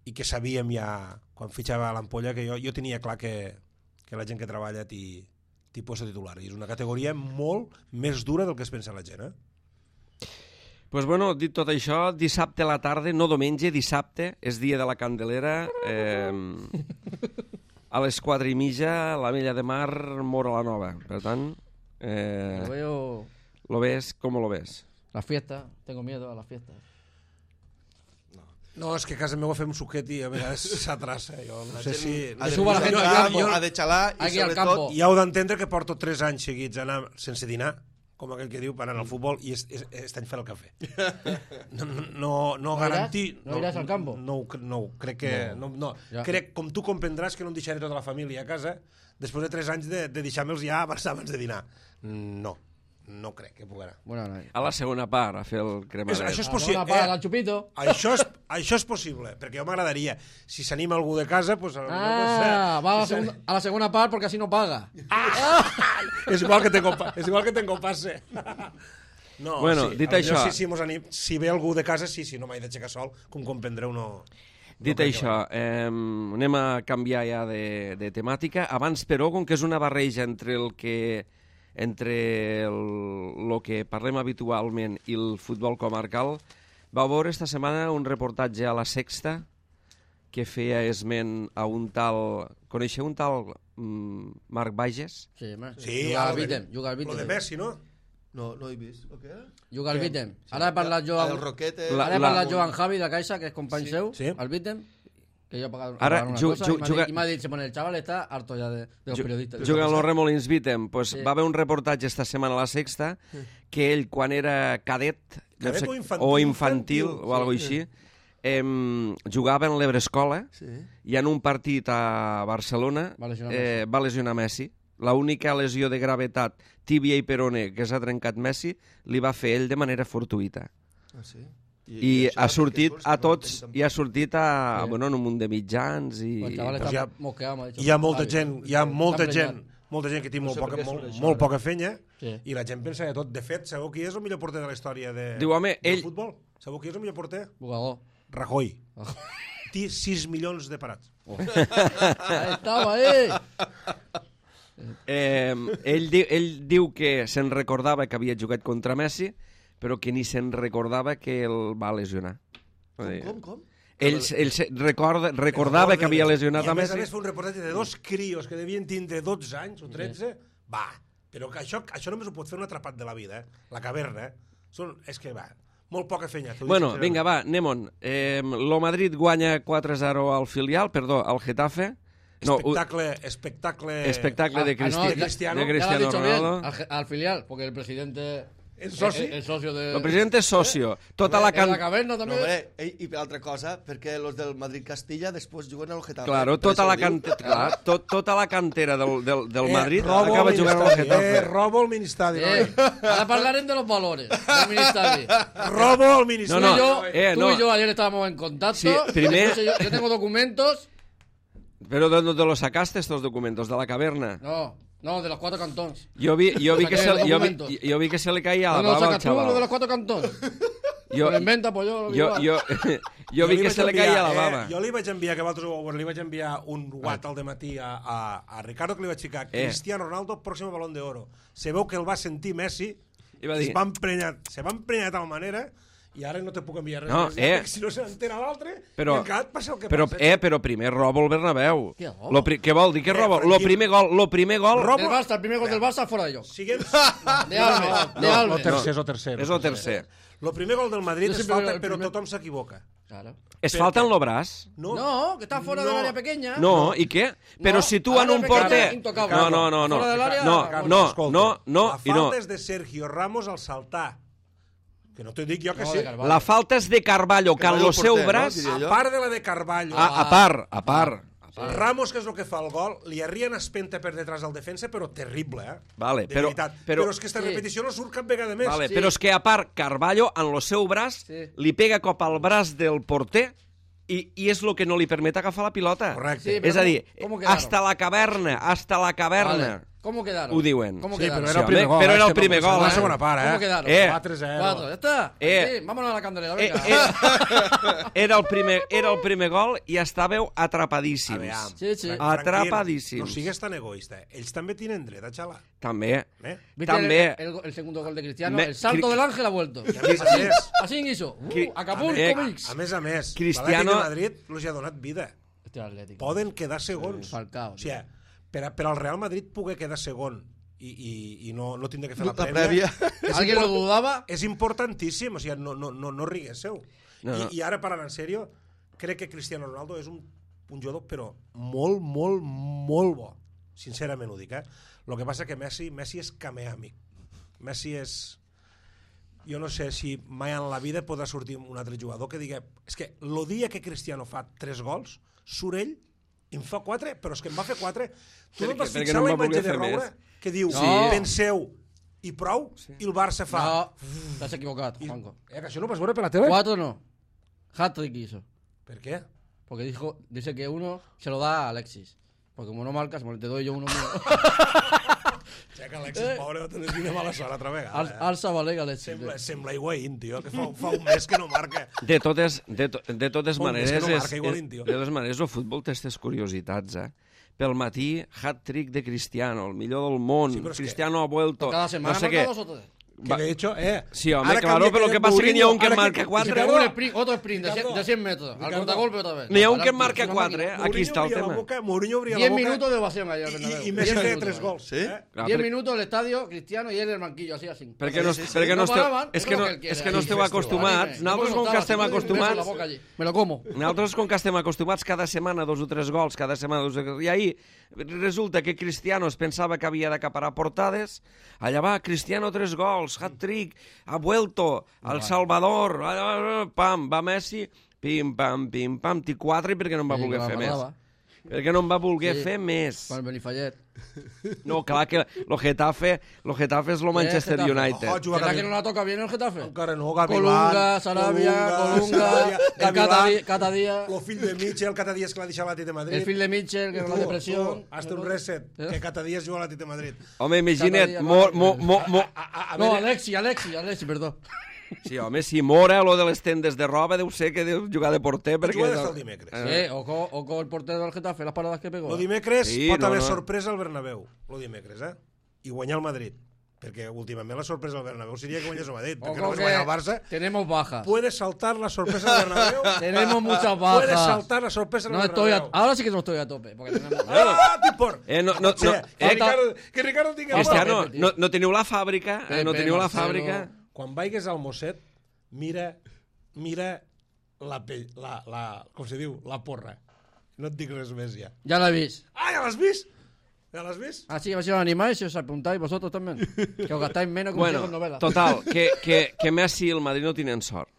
i que sabíem ja quan fitxava a l'ampolla, que jo, jo tenia clar que, que la gent que treballa t'hi t'hi posa titular, i és una categoria molt més dura del que es pensa la gent, eh?
Pues bueno, dit tot això, dissabte a la tarda, no diumenge, dissabte, és dia de la Candelera. Eh, a les quatre i mitja, la Mella de Mar, Mora la Nova. Per tant, eh,
Lo veo
lo ves com lo ves.
la fiesta, tengo miedo a la fiesta.
No, és que a casa meva fem suquet i a vegades s'atrassa. Jo no sé si...
ha de,
suba la
pujar
gent
al
al
camp,
campo.
ha de xalar i
Aquí al
sobretot...
campo.
I heu d'entendre que porto tres anys seguits anar sense dinar, com aquell que diu, per anar al futbol, i est, est, est any fer el cafè. No, no, no
¿No
garantir...
irás? ¿No irás al campo?
No, no, no crec que... No, no.
Ja.
Crec, com tu comprendràs, que no em deixaré tota la família a casa després de tres anys de, de deixar-me'ls ja abans, abans de dinar. No, no crec que puc anar.
Bueno, no.
A la segona part, a fer el
És,
cremadet.
això és
Ah,
possible.
no, para, al chupito.
Això és, això és possible, perquè jo m'agradaria. Si s'anima algú de casa, pues, a lo mejor,
Ah,
pues, eh,
va a la,
si
segunda, a la segunda par porque así no paga.
és igual que tengo, pa- és igual que tengo passe. No,
Bueno,
sí,
dit
a lo millor
això-
Si, si, mos anim, si ve algú de casa, sí, sí, no m'he d'aixecar sol, com comprendreu, no...
Dit
no crec
això, eh, anem a canviar ja de, de temàtica. Abans, però, com que és una barreja entre el que entre el, el que parlem habitualment i el futbol comarcal, vau veure esta setmana un reportatge a La Sexta que feia esment a un tal... Coneixeu un tal mm, Marc Bages?
Sí, ma.
Sí,
Juga al
lo de-
Vítem, juga al
Lo
Vítem.
de Messi, no?
No, no he vist. O què?
Juga al Vítem. Ara he parlat jo
El
amb...
Roquete...
La-
Ara he
la-
parlat jo amb Javi de Caixa, que és company
Sí.
seu,
Sí.
al Vítem, que jo he pagat
Ara,
una
ju-
cosa,
ju-
i m'ha
juga-
dit- i m'ha dit, Simón, el chaval está harto ya de, de los periodistas.
Juga en los Remolins Vítem. Pues
Sí.
va haver un reportatge esta setmana a la Sexta que ell, quan era cadet, deu
Cadet
ser-
o infantil,
o infantil,
infantil,
o alguna així, em, jugava en l'Ebrescola
Sí.
i en un partit a Barcelona
Va lesionar
eh, va lesionar Messi. L'única lesió de gravetat, tíbia i peroné, que s'ha trencat Messi, li va fer ell de manera fortuïta.
Ah, sí?
I
això
ha
perquè
sortit
surts
a
que no
tots,
tens
i ha sortit a,
Sí.
bueno, en un munt de mitjans i...
El chaval
Pues
está
ya-
mosqueado, m'ha dit.
Hi ha molta gent, hi ha molta
Està
gent,
emprenyat.
molta gent que té
No
molt,
sé
poca,
per què
molt,
surt això,
molt
ara.
poca fenya
Sí.
i la gent pensa de tot. De fet, sabeu qui és el millor porter de la història de,
Diu, home,
del
ell-
futbol? Sabeu qui és el millor porter?
Jugador.
Rajoy. Té sis milions de parats.
Ahí estaba, eh.
Eh, ell, di, ell diu que se'n recordava que havia jugat contra Messi, però que ni se'n recordava que el va lesionar.
Com, com, com?
Ell, ell se recorda, recordava que havia lesionat
I
a
a més a
Messi.
més fa un reportatge de dos crios que devien tindre dotze anys o tretze. Va, però que això, això només ho pot fer un atrapat de la vida, eh? La caverna. Eh? Són, és que va, molt poca fenya. t'ho dic
Bueno,
sincerament.
vinga, va, anem-on. Eh, lo Madrid guanya quatre a zero al filial, perdó, al Getafe. No, u-
Espectacle, espectacle...
espectacle de,
Ah,
Cristi
no,
de Cristiano.
de
Ya lo
Cristiano
has dicho
Ronaldo.
bien, al, ge- al filial, porque el presidente...
El soci.
El, el socio de...
El president és socio. Tota la
En la
can...
caverna
No,
també.
hombre, ei, i per altra cosa, perquè els del Madrid-Castilla després juguen al Getafe.
Claro,
Per
tota
això
la,
ho diu.
cante... clar, tot, tota la cantera del, del, del
Eh,
Madrid
robo
acaba
al
jugant al
Ministeri,
Getafe.
Eh, robo al Ministeri.
Eh, ahora hablaremos de los valores del Ministeri.
Robo al Ministeri.
No, no,
Tú y yo,
eh,
tú
no.
y yo ayer estábamos en contacto.
Sí, primer-
Después Yo, yo tengo documentos.
Pero ¿de dónde los sacaste estos documentos? ¿De la caverna?
No, no, de los cuatro cantones.
Yo vi, yo vi,
Saqué
que, se,
los
le- yo vi,
documentos.
yo vi que se le caía la
¿Dónde lo
baba al
sacas tú, lo de los
chaval.
cuatro cantones?
Yo,
Lo inventa, pues yo lo
yo,
igual.
yo, yo vi
li
que
vaig
se le
enviar,
caía la
eh,
baba.
Jo li vaig enviar, que vosaltres ho vau veure, li vaig enviar un what al dematí a, a, a Ricardo, que li vaig ficar
Eh.
Cristiano Ronaldo, pròxim Balón d'Oro. Se veu que el va sentir Messi,
I va
es
dir-
va emprenyar, se va emprenyar de tal manera, i ara no te puc enviar res
No,
més,
eh.
perquè si no se n'entera l'altre,
Però-
i encara et passa el que
Però,
passa.
eh, però primer roba el Bernabéu.
Què roba?
Lo pri què vol dir que
Eh,
roba? Lo
tranquil.
primer gol, lo primer gol
Roba-
Del Barça, el primer gol del Barça fuera de ellos.
Siguem...
De Alves, de Alves.
tercer, és el tercer.
és el tercer.
El primer gol del Madrid
Jo
és
sempre
falta,
veo el
però
primer.
tothom s'equivoca.
Claro.
Es
Per
falta
què?
en lo braç?
No,
No, que está fuera
No.
del área pequeña.
No, i què? Però
No,
si tu en
área
un
pequeña,
porter...
intocable.
No, no, no, no.
Fora de l'àrea,
No,
bueno,
no,
escolta,
no, no,
la
i no.
falta és de Sergio Ramos al saltar. Que no te dic jo que
No,
sí.
de Carvalho.
La falta és de Carballo, que en
Carballo
el seu
porter, no?
braç...
Diria
A
jo.
part de la de Carballo,
A, a part, a part.
Ramos, que és el que fa el gol, li arrien espenta per detrás del defensa, però terrible, eh?
Vale,
de
però-
veritat.
però-
Però és que esta
Sí.
repetició no surt cap vegada més.
Vale,
Sí.
però és que a part, Carballo, en el seu braç,
Sí.
li pega cop al braç del porter i, i és el que no li permet agafar la pilota.
Correcte.
Sí, però
És a dir,
¿cómo- cómo quedaron?
hasta la caverna, hasta la caverna.
Vale. ¿Cómo quedaron?
Ho diuen.
¿Cómo
Sí,
quedaron?
però era el
Sí,
primer
home,
gol.
però
eh?
era el
Este
primer
no-
gol,
La
eh?
segona part, eh?
¿Cómo quedaron?
Eh.
quatre zero.
Cuatro, ya está.
Eh.
Sí, vámonos a la candelera,
Eh,
venga.
eh, era, el primer, era el primer gol i estàveu atrapadíssims.
Aviam,
Sí, sí.
tranquil,
Atrapadíssims.
No sigues tan egoista. Ells també tenen dret a xalar.
També.
Eh?
¿Viste
També.
el, el- el segundo gol de Cristiano?
Me-
el salto
Cri-
del ángel ha vuelto.
I a més a més,
Así hizo. Uh,
Cri-
Acapulco
Eh,
Mix.
a més a més,
Cristiano-
l'Atlètic de Madrid els ha donat vida.
Este Atlético.
Poden quedar segons.
Falcao.
O sigui, per, a- per al Real Madrid poder quedar segon i, i, i no, no tindre que fer la
La
prèvia,
prèvia.
és,
¿Alguien lo
import-
dudaba?
és importantíssim. O sigui, no, no, no, no riguésseu.
No, no.
I, I ara, parlant en sèrio, crec que Cristiano Ronaldo és un, un jugador, però molt, molt, molt bo. Sincerament ho dic, eh? El que passa que Messi, Messi és cameàmic. Messi és... Jo no sé si mai en la vida podrà sortir un altre jugador que digui... És que el dia que Cristiano fa tres gols, surt ell i em fa quatre, però és que em va fer quatre. Tu no
Perquè-
t'has
perquè
fixat
no
la
em va
imatge
voler
de
fer
Roure
més.
que diu,
Sí.
penseu i prou, i el Barça fa...
No, estás equivocado,
I,
Juanco.
eh, que això no ho vas veure per la tele?
Cuatro no. Hat-trick hizo.
Per què?
Porque dijo, dice que uno se lo da a Alexis. Porque como no marcas, te doy yo uno mío.
Ja que Alexis, pobre, va tenir una mala sort altra vegada.
Al,
Eh?
alza Valega Alexis.
Sembla, sembla Higuaín, tio, que fa, fa un mes que no marca.
De totes, de, to, de totes
Un mes
maneres,
que no
és,
marca Higuaín, tio.
de totes maneres, el futbol té aquestes curiositats, eh? Pel matí, hat-trick de Cristiano, el millor del món.
Sí, però és que-
Cristiano ha vuelto.
Cada semana
no sé
marca
què.
dos o tres.
Que de hecho, eh...
Sí, home,
ara
claro,
canvia
pero lo que pasa es que n'hi ha un que
Mourinho, ara
marca
Y se
quatre.
pegó un sprint, otro sprint de cien,
Ricardo.
de cien metros. Al
Ricardo.
contragolpe otra vez.
N'hi ha un que
Ahora,
marca
es una
quatre,
máquina.
eh? Aquí
Mourinho
està el
obria la
tema.
boca, Mourinho obria la
diez
boca...
minutos de ovación allá.
I, i Messi feia tres gols.
Sí?
Eh?
Clar,
diez
per-
minutos el estadio, Cristiano y él en el banquillo, así, así.
Perquè no,
Sí, sí, sí.
perquè no,
No
esteu,
paraven,
és
és
que
lo
no,
que él quiere.
és que no
Ahí,
esteu
festival.
acostumats.
Yo
Nosaltres, com
puedo
que
soltar,
estem
si no, me beso la
acostumats...
boca allí. Me lo como.
Nosaltres, com que estem acostumats cada setmana dos o tres gols, cada setmana dos o tres... I ahir resulta que Cristiano es pensava que havia d'acaparar portades, allà va, Cristiano tres gols, hat-trick, ha vuelto, El Salvador, pam, va Messi, pim, pam, pim, pam, té quatre perquè no en va
Sí,
voler
la
fer més.
guardava.
Perquè no en va voler
Sí.
fer més.
Con el Benifallet.
No, clar que lo Getafe, lo Getafe és lo Manchester
Getafe.
United.
Ojo, juga
¿Será
Gavi-
que no la toca bien el Getafe?
Encara no, Gavilán...
Colunga, Sarabia, Colunga,
Sarabia,
el
Gavilán,
Cata- Cata Díaz,
el fill de Mitchell, cada dia és que l'ha deixat l'Atlètic de Madrid.
el fill de Mitchell, que con la
Tu,
depresión.
tu, Hasta un reset, que cada dia es juga a l'Atlètic de Madrid.
Home, imagina't,
Cada dia
mo,
va-
mo, mo, mo...
A, a, a
No,
veure,
Alexi, Alexi, Alexi, perdón.
Sí, home, si mora lo de les tendes de roba, deu ser que deu jugar de porter, perquè...
juga des del dimecres.
Sí, ojo, ojo el portero del Getafe, las paradas que pegó.
Lo dimecres
Sí,
pot
no,
haver
no.
sorpresa al Bernabéu, lo dimecres, eh? I guanyar el Madrid. Perquè últimament la sorpresa al Bernabéu seria que guanyés el Madrid. Perquè
Ojo
només
que
guanyar el Barça.
tenemos bajas.
Puede saltar la sorpresa al Bernabéu.
Tenemos muchas bajas.
Puede saltar la sorpresa al
No estoy a,
Bernabéu.
ahora sí que no estoy a tope. Porque tenemos...
Ah, tipor!
Eh, no, no,
Sí,
no,
que,
eh,
Ricardo, que Ricardo tingui el
Cristiano,
Pepe, tio.
no, no teniu la fàbrica? Eh, no
Pepe,
teniu la
Marcelo.
fàbrica?
Quan vaigues al Mosset, mira, mira la, pell, la, la, com se diu, la porra. No et dic res més ja.
Ya la veis.
Ah, ja l'has vist? Ja l'has vist?
Así que si os animáis y os apuntáis vosotros también. Que os gastáis menos que
Bueno,
con novelas.
total, que, que, que Messi i el Madrid no tenen sort.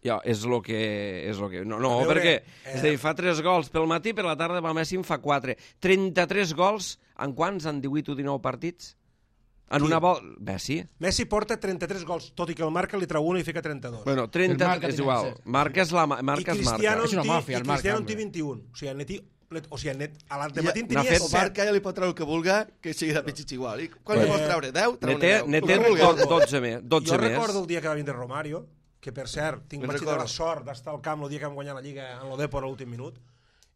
Ja, és lo que... És lo que no, no
A veure,
perquè
eh,
és a dir, fa tres gols pel matí, per la tarda va Messi en fa quatre. trenta-tres gols en quants? En divuit o dinou partits? En
Qui?
una volta... Messi?
Messi porta trenta-tres gols, tot i que el marca li treu una i fica trenta-dos.
Bueno,
El
trenta...
marca
És
tiene
igual.
que ser.
Marca és la ma-
I
marca és
Cristiano,
marca.
És una
en té-
màfia,
i
el marca,
Cristiano en té
hombre.
vint-i-un. O sigui, net, o sigui, net, a l'antematí en
Ja, n'ha
tenia
fet
O
set.
marca ja li pot treure el que vulga, que sigui de pitxitx igual. I quan
Eh,
li pots treure? deu?
Ne
Treu-ne
té,
deu.
ne
El
té
que vulguis.
do- dotze més. dotze
Jo
més.
recordo el dia que va vindre Romario, que per cert, tinc
Me'n
vaig tenir la
recordo.
sort d'estar al camp el dia que vam guanyar la Lliga en l'Odepor a l'últim minut,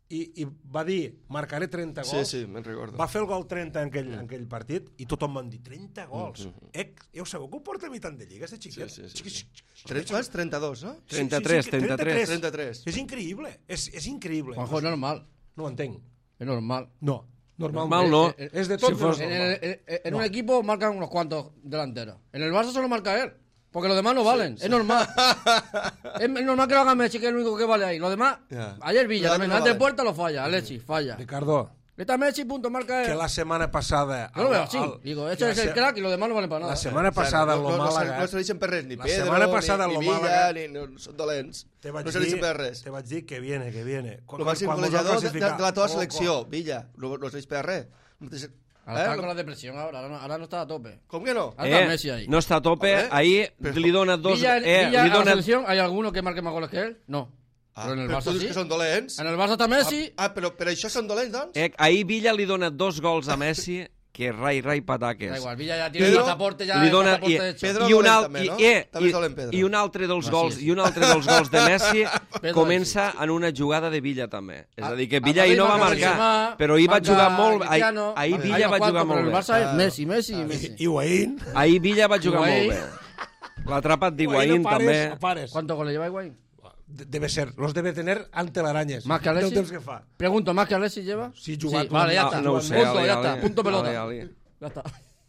i, i va dir, marcaré trenta
Sí,
gols.
sí, me'n recordo.
Va fer el gol trenta en aquell, en aquell partit i tothom van dir, trenta gols. Eh, ja ho sabeu que ho porta a mi tant de lliga, este xiquet?
Sí, sí, sí,
Xiqui-
sí.
xiqui-
Trenta- quants? trenta-dos, no?
Sí,
trenta-tres,
sí, sí,
trenta-tres.
trenta-tres.
És increïble, és, és increïble.
Juanjo, es normal.
No ho entenc.
Es normal.
No, normal,
Normal no.
Eh, eh,
És de tot
Si
menos
fos-
En,
normal.
el- en- en un equipo marcan unos cuantos delanteros. En el Barça solo marca él. Porque los demás no valen. Es normal. Es normal que lo haga Messi, que es el único que vale ahí. Los demás,
Ya.
ayer Villa,
Los
también,
demás no
antes de
valen.
puerta lo falla. Alexis, falla.
Ricardo,
Está Messi, punto, marca
que
él.
la setmana passada...
Yo lo veo
al-
así.
al-
Digo,
que
este
la
es el
se-
crack y los demás no valen para nada.
La setmana
O sigui,
passada,
no,
el
no, no,
Màlaga...
no serveixen per res, ni
La
Pedro,
setmana passada,
ni,
lo
ni Villa,
Màlaga-
ni, no, són dolents.
Te vaig
No serveixen
dir,
per res.
te vaig dir que viene, que viene. Quan-
El màxim
quan mos
golejador
van
de, de,
classificar-
de la teva
Oh,
selecció, Villa, no, no serveix per res. No té-
Ahora está
Eh?
con la depresión ahora. Ahora no, ahora no está a tope.
Com que no?
Ahora está Messi ahí.
no està a tope.
Home,
Ahir
però-
li dona dos...
Villa,
eh,
Villa
li
a la
dona...
selección, ¿hay alguno que marque más goles que él? No.
Ah,
Pero en el
però
Barça
tu dius
sí.
que són dolents?
En el Barça está Messi.
Ah, però per això són dolents, doncs?
Eh, ahir Villa li dona dos gols a Messi, que rai, rai, pataques.
Da igual, Villa ya tiene
Pedro
el pasaporte ya.
li
el
dona,
pasaporte
i,
hecho.
Pedro
i, un
dolent
al,
també,
i,
no?
eh,
També és
i,
dolent, Pedro.
i un altre dels
Ah,
gols
sí.
i un altre dels gols de Messi
Pedro
comença en una jugada de Villa també. És a dir, que
A
Villa ahir no va
Madrid
marcar,
marca
però ahir va
marca
jugar molt... Ahir,
Cristiano,
ahir
hay
Villa
unos
va jugar
cuantos,
molt
pero
bé.
el Barça es Messi, Messi y Messi.
Higuaín.
Ahir Villa va jugar
Higuaín.
molt bé. L'ha atrapat d'Higuaín
a pares,
també.
a pares.
¿Cuántos goles lleva Higuaín?
De- Debe ser, los debe tener ante l'Aranyes.
Más que
Del
Alexis.
temps que fa.
Pregunto, ¿más que Alexis lleva?
Sí, jugat.
Vale, ya
Ah,
está.
no ho sé,
Punto,
Ali,
ya
Ali.
está. Punto pelota.
Ali, Ali.
Ya está.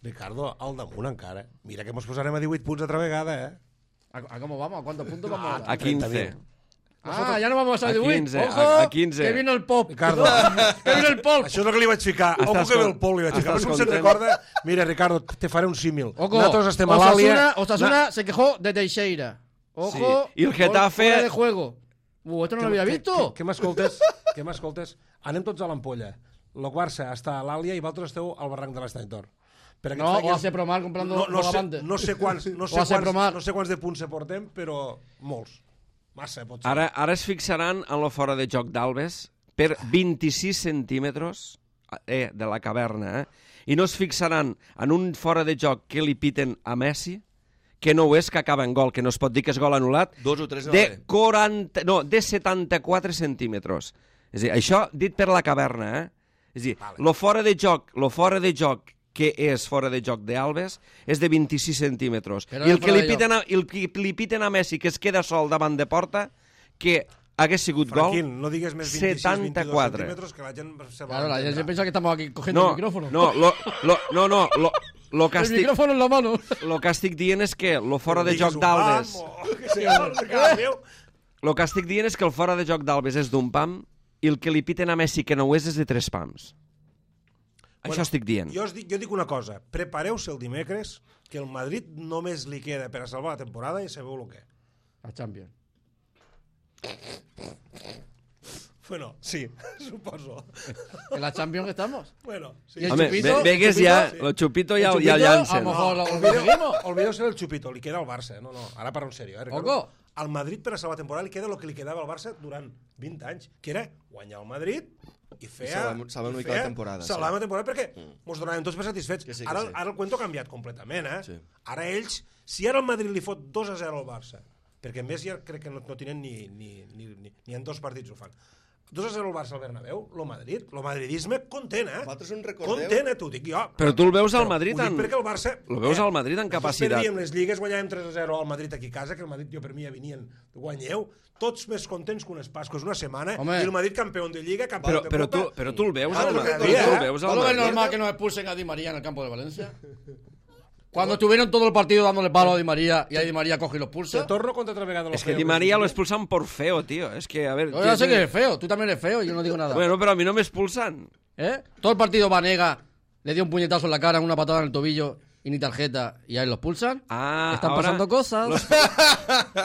Ricardo, al damunt encara. Mira que mos posarem a divuit punts altra vegada, eh?
¿A, a cómo vamos? ¿A cuántos puntos vamos ahora?
A quinze.
Ah, ya no vamos a
A
dibujar.
quinze,
Ojo,
a- a quinze.
que viene el pop.
Ricardo.
que viene el pop.
Això és el que li vaig ficar. Ojo
Estàs
que ve
con-
el Pol, li vaig ficar.
estàs
Per si se'n
content?
recorda... Mira, Ricardo, te faré un símil.
Ojo,
Nosaltres estem a
Osasuna,
l'Àlia...
Osasuna se quejó de Teixeira. Ojo,
Sí. Y el
gol
Getafe-
fuera de juego. Uh, esto no lo había visto.
Què m'escoltes? Què m'escoltes? Anem tots a l'ampolla. El Barça està a l'Àlia i vosaltres esteu al barranc de l'Estany Tor. Per
No, o hace Promar comprando
no, no, sé,
Bogavante.
no, sé quants, no, sé
O a ser
quants,
Promar.
no sé quants de punts se portem, però molts. Massa, pot ser.
Ara, ara es fixaran en lo fora de joc d'Albes per vint-i-sis centímetres eh, de la caverna, eh? I no es fixaran en un fora de joc que li piten a Messi, que no ho és, que acaba en gol, que no es pot dir que és gol anul·lat,
Dos o tres no
de
vale.
quaranta, no, de setanta-quatre centímetres. És a dir, això dit per la caverna, eh? És a dir,
Vale.
lo fora de joc, lo fora de joc que és fora de joc d'Alves és de vint-i-sis centímetres.
Però
I el
no
que
fora
li
de
piten, a, el que li piten a Messi, que es queda sol davant de porta, que hagués sigut gol,
Franquín, no digues més vint-i-sis
setanta-quatre.
centímetres que la gent se va
Claro, la gente
entendre.
piensa que estamos aquí cogiendo
No,
el micrófono.
no, lo, lo, no, no, lo, lo, que
el
estic,
micrófono en la mano.
lo que estic dient és que lo fora de
Digues
joc
un
d'Alves...
pam, o que sigui, no sé què, Déu.
El que estic dient és que el fora de joc d'Alves és d'un pam i el que li piten a Messi que no ho és és de tres pams.
Bueno,
Això estic dient.
Jo, us dic, jo dic una cosa, prepareu-se el dimecres, que el Madrid només li queda per a salvar la temporada i sabeu el què.
A Champions.
Bueno, sí, suposo.
¿En la Champions estamos?
Bueno, sí.
¿Y el
Home,
Chupito?
ve- vegues
¿El
ja,
Chupito?
el Chupito
¿El
ja,
Chupito?
ja el llancen.
A lo mejor lo
olvideu,
conseguimos.
olvideu-se del Chupito, li queda al Barça. No, no, ara parlo en sèrio. Eh, Ricardo?
Oco.
Al Madrid per a salvar la temporada li queda el que li quedava al Barça durant vint anys, que era guanyar el Madrid i fer...
I salvar- salvar una mica la temporada, sí.
Salvar la temporada perquè ens donàvem tots per satisfets.
Que sí, que
ara,
sí.
ara el cuento ha canviat completament, eh?
Sí.
Ara ells, si ara el Madrid li fot dos a zero al Barça, perquè a més ja crec que no, no tenen ni, ni, ni, ni, ni en dos partits ho fan, dos a zero al Barça al Bernabéu, lo Madrid, lo madridisme content, eh?
Vosaltres en recordeu?
Content, eh, t'ho dic jo.
Però tu el veus al
Però
Madrid
ho dic
en-
perquè el Barça...
Lo veus al Madrid en capacitat.
Nosaltres perdíem les lligues, guanyàvem tres a zero al Madrid aquí a casa, que el Madrid, jo per mi ja venien, guanyeu, tots més contents que unes Pasques, una setmana,
Home.
i el Madrid campió de Lliga, campió
Però,
de
però,
Copa.
tu, però tu el veus
Ah,
al
tu
Madrid.
el veus,
Tu el
eh?
veus al
¿No lo ves
Madrid.
normal que nos expulsen a Di María en el campo de Valencia? Cuando estuvieron todo el partido dándole palo a Di María y a Di María coge y los
Te
pulsa.
torno contra otra vegada.
Es que Di María lo expulsan por feo, tío. Es que, a ver...
Yo ya sé que eres feo, tú también eres feo, yo no digo nada.
Bueno, pero a mí no me expulsan.
¿Eh? Todo el partido Vanega le dio un puñetazo en la cara, una patada en el tobillo y ni tarjeta y ahí los pulsan.
Ah,
Están
ahora
pasando cosas.
los-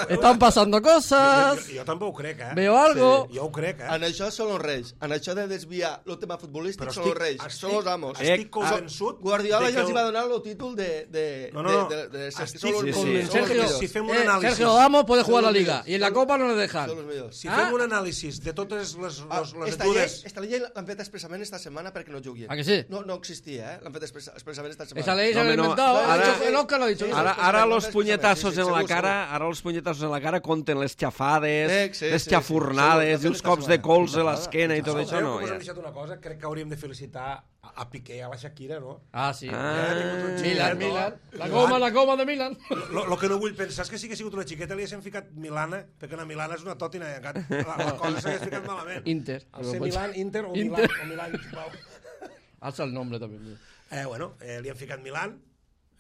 Están pasando
Jo,
cosas.
jo, jo també ho crec, eh?
Veo algo.
Sí, jo ho crec, eh?
En això són els reis. En això de desviar el tema futbolístic
Però
són els reis.
estic-
Són els amos.
estic
Eh,
convençut
Guardiola
de
ja
que
els
el-
va donar el títol de... de,
No, no, no.
de, de, de, de
Estic
són els-
sí, sí.
són els
Sergio,
millors.
si fem un
eh,
anàlisi...
Sergio Damos puede jugar la
Son los
liga
millors.
y en la Copa no le dejan.
Són els millors.
Si
Ah.
fem un anàlisi de totes les,
Ah,
les, les
esta llei,
etures...
esta llei l'han fet expressament esta setmana perquè no juguin.
¿A que sí?
No, no existia, eh? L'han fet express, expressament esta setmana.
Esa ley se
No,
la ha
hombre, no.
inventado.
Ahora-
ha dicho- el Oscar lo ha dicho.
Sí,
Ara,
sí,
ara
sí,
los
sí,
puñetazos
sí,
en la
segur,
cara, ara els puñetazos en la cara compten les xafades,
Sí, sí,
les
sí,
xafurnades
sí,
i
sí,
els
sí,
cops
sí,
de
sí,
cols
sí,
a
sí,
l'esquena i
sí,
tot
sí,
això,
Sabeu
no?
que us
Ja.
hem deixat una cosa? Crec que hauríem de felicitar a, a Piqué, a la Shakira, no?
Ah, sí.
Ah.
Milan, Milan. La
Milan.
goma, la goma de Milan.
Lo, lo que no vull pensar és que sí que ha sigut una xiqueta, li haguéssim ficat Milana, perquè una Milana és una tòtina, i encara la, la cosa s'hagués ficat malament.
Inter.
Al ser Milan, Inter o
Inter.
Milan, o Milan, sisplau.
Alza el nombre también.
Eh, bueno, eh, li han ficat Milan,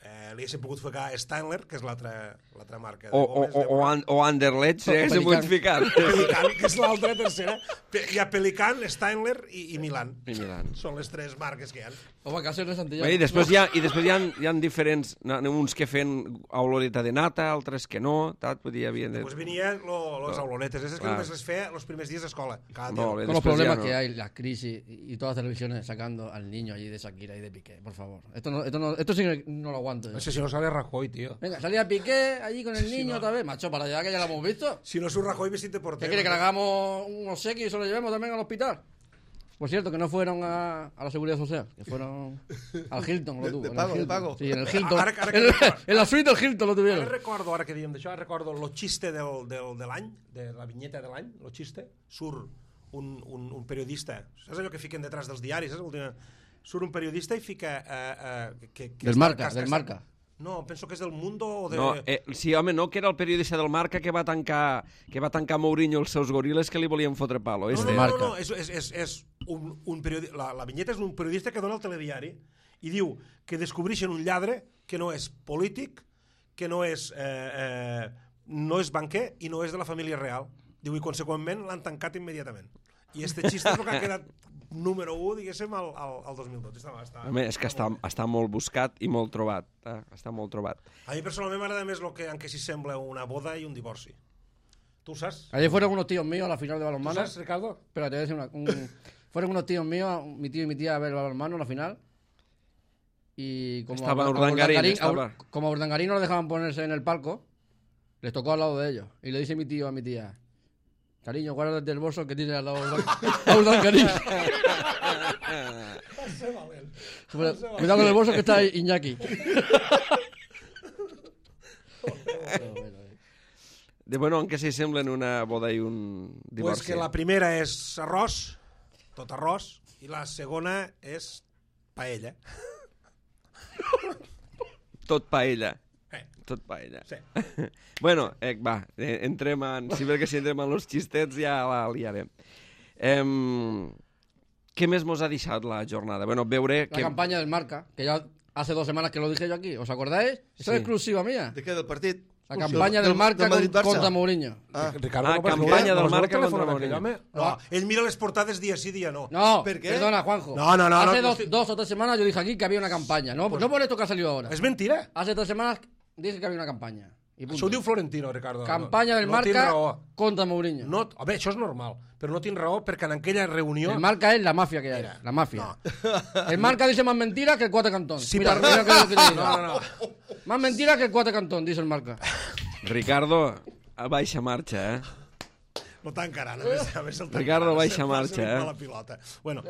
eh, li haguéssim pogut ficar Steinler, que és l'altra l'altra marca de
O, o,
gomes.
o, o, an, o Anderlecht, eh, que se pot ficar.
Pelican, que és l'altra tercera. Pe- Hi ha Pelican, Steinler i, i Milan.
I Milan.
Són les tres marques que hi ha.
O va casi de Santillán.
I després hi ha, i després hi ha, hi ha diferents, n'hi ha uns que feien oloreta de nata, altres que no, tal, vull dir, hi havia... De...
Pues venien lo, los aulonetes, esas que
Clar.
només les feia els primers dies d'escola. Cada
Molt
dia.
bé.
Con los
después
problemas
ya no.
que hay, las crisis y y todas las televisiones sacando al niño allí de Shakira y de Piqué, por favor. Esto no, esto no, esto sí que no lo aguanto. yo.
No sé si no sale Rajoy, tío.
Venga, salía Piqué allí con el niño otra vez. Macho, para allá que ya lo hemos visto.
Si no surt Rajoy, vestit de
¿Qué
portero.
quiere que le hagamos un obsequio y se lo llevemos también al hospital? Por cierto, que no fueron a, a la Seguridad Social, que fueron al Hilton, lo
De-
tuvo.
de
en el
pago, de
Hilton.
pago.
Sí, en el Hilton.
Ara- ara que-
en, en la suite del Hilton lo
Ara
tuvieron.
recordo, ara que diem d'això, ara recordo lo xiste del, del, de l'any, de la vinyeta de l'any, lo xiste, surt un, un, un periodista, saps allò que fiquen detrás dels diaris, saps? Última, surt un periodista i fica... Eh, eh, que, que
Del
està-
Marca,
que-
del
que-
Marca.
No, penso que és del Mundo o de...
No, eh, sí, home, no, que era el periodista del Marca que va tancar que va tancar Mourinho els seus goriles que li volien fotre palo.
No,
Este.
no, no,
Marca.
no, no, és, és, és, és un, un periodi... la, la vinyeta és un periodista que dona el telediari i diu que descobreixen un lladre que no és polític, que no és, eh, eh, no és banquer i no és de la família real. Diu, i conseqüentment l'han tancat immediatament. I este xiste és el que ha quedat número u, diguéssim, al, al, al dos mil dotze. Està, està,
Home, és que està, està molt buscat i molt trobat. Eh? Està molt trobat.
A mi personalment m'agrada més el que, en què s'hi sembla una boda i un divorci. Tu ho saps?
Ayer fueron unos tíos míos a la final de
Tu
balonmano.
saps, Ricardo?
Espera, te voy a decir una. un- fueron unos tíos míos, mi tío y mi tía, a ver el balonmano, la final. Y como
Estaba
a, a
Urdangarín,
Urdangarín- a
estaba.
Ur- como a Urdangarín no lo dejaban ponerse en el palco, les tocó al lado de ellos. Y le dice mi tío a mi tía: cariño, guárdate del bolso que tiene al lado a Urdangarín. Cuidado con el bolso que está ahí, Iñaki.
De bueno, en què s'hi semblen una boda i un divorci?
Pues que la primera és arròs, tot arròs, i la segona és paella.
Tot paella.
Eh.
Tot paella.
Sí.
Bueno, eh, va, eh, entrem en... Si perquè si entrem en los xistets ja la liarem. Eh, què més mos ha deixat la jornada? Bueno, veure...
La
que...
campaña del Marca, que ya hace dos semanas que lo dije yo aquí. ¿Os acordáis? Eso
Sí.
es exclusiva mía.
De què, del partit?
La campaña del Marca con- contra Mourinho.
Ah,
Ricardo,
Ah,
no pots
campanya
veure?
del
No es veu
Marca
el telèfon
contra
d'aquell
Mourinho.
home? No, ell mira les portades dia sí, dia no.
No,
¿Por qué?
perdona, Juanjo.
No, no, no,
Hace
no,
dos,
no,
dos o tres semanas yo dije aquí que había una campaña. No, no por esto que ha salido ahora.
És mentira.
Hace tres semanas dije que había una campaña. Y punto.
Això ho diu Florentino, Ricardo.
Campaña del
no, no tinc
Marca
raó.
contra Mourinho.
No, a veure, això és normal, però no tinc raó perquè en aquella reunió...
El Marca es la mafia que hay.
Mira,
La mafia.
no.
El Marca dice más mentiras que el Cuatro Cantón.
Sí,
mira,
pero-
mira que lo que te digo.
No, no, no.
Más mentiras que el Cuatro Cantón, dice el Marca.
Ricardo, a baixa marxa, eh?
No t'encarant, a més, a més el
Ricardo,
t'encarant,
baixa
se'n fa
marxa,
servir
eh?
la pilota. Bueno,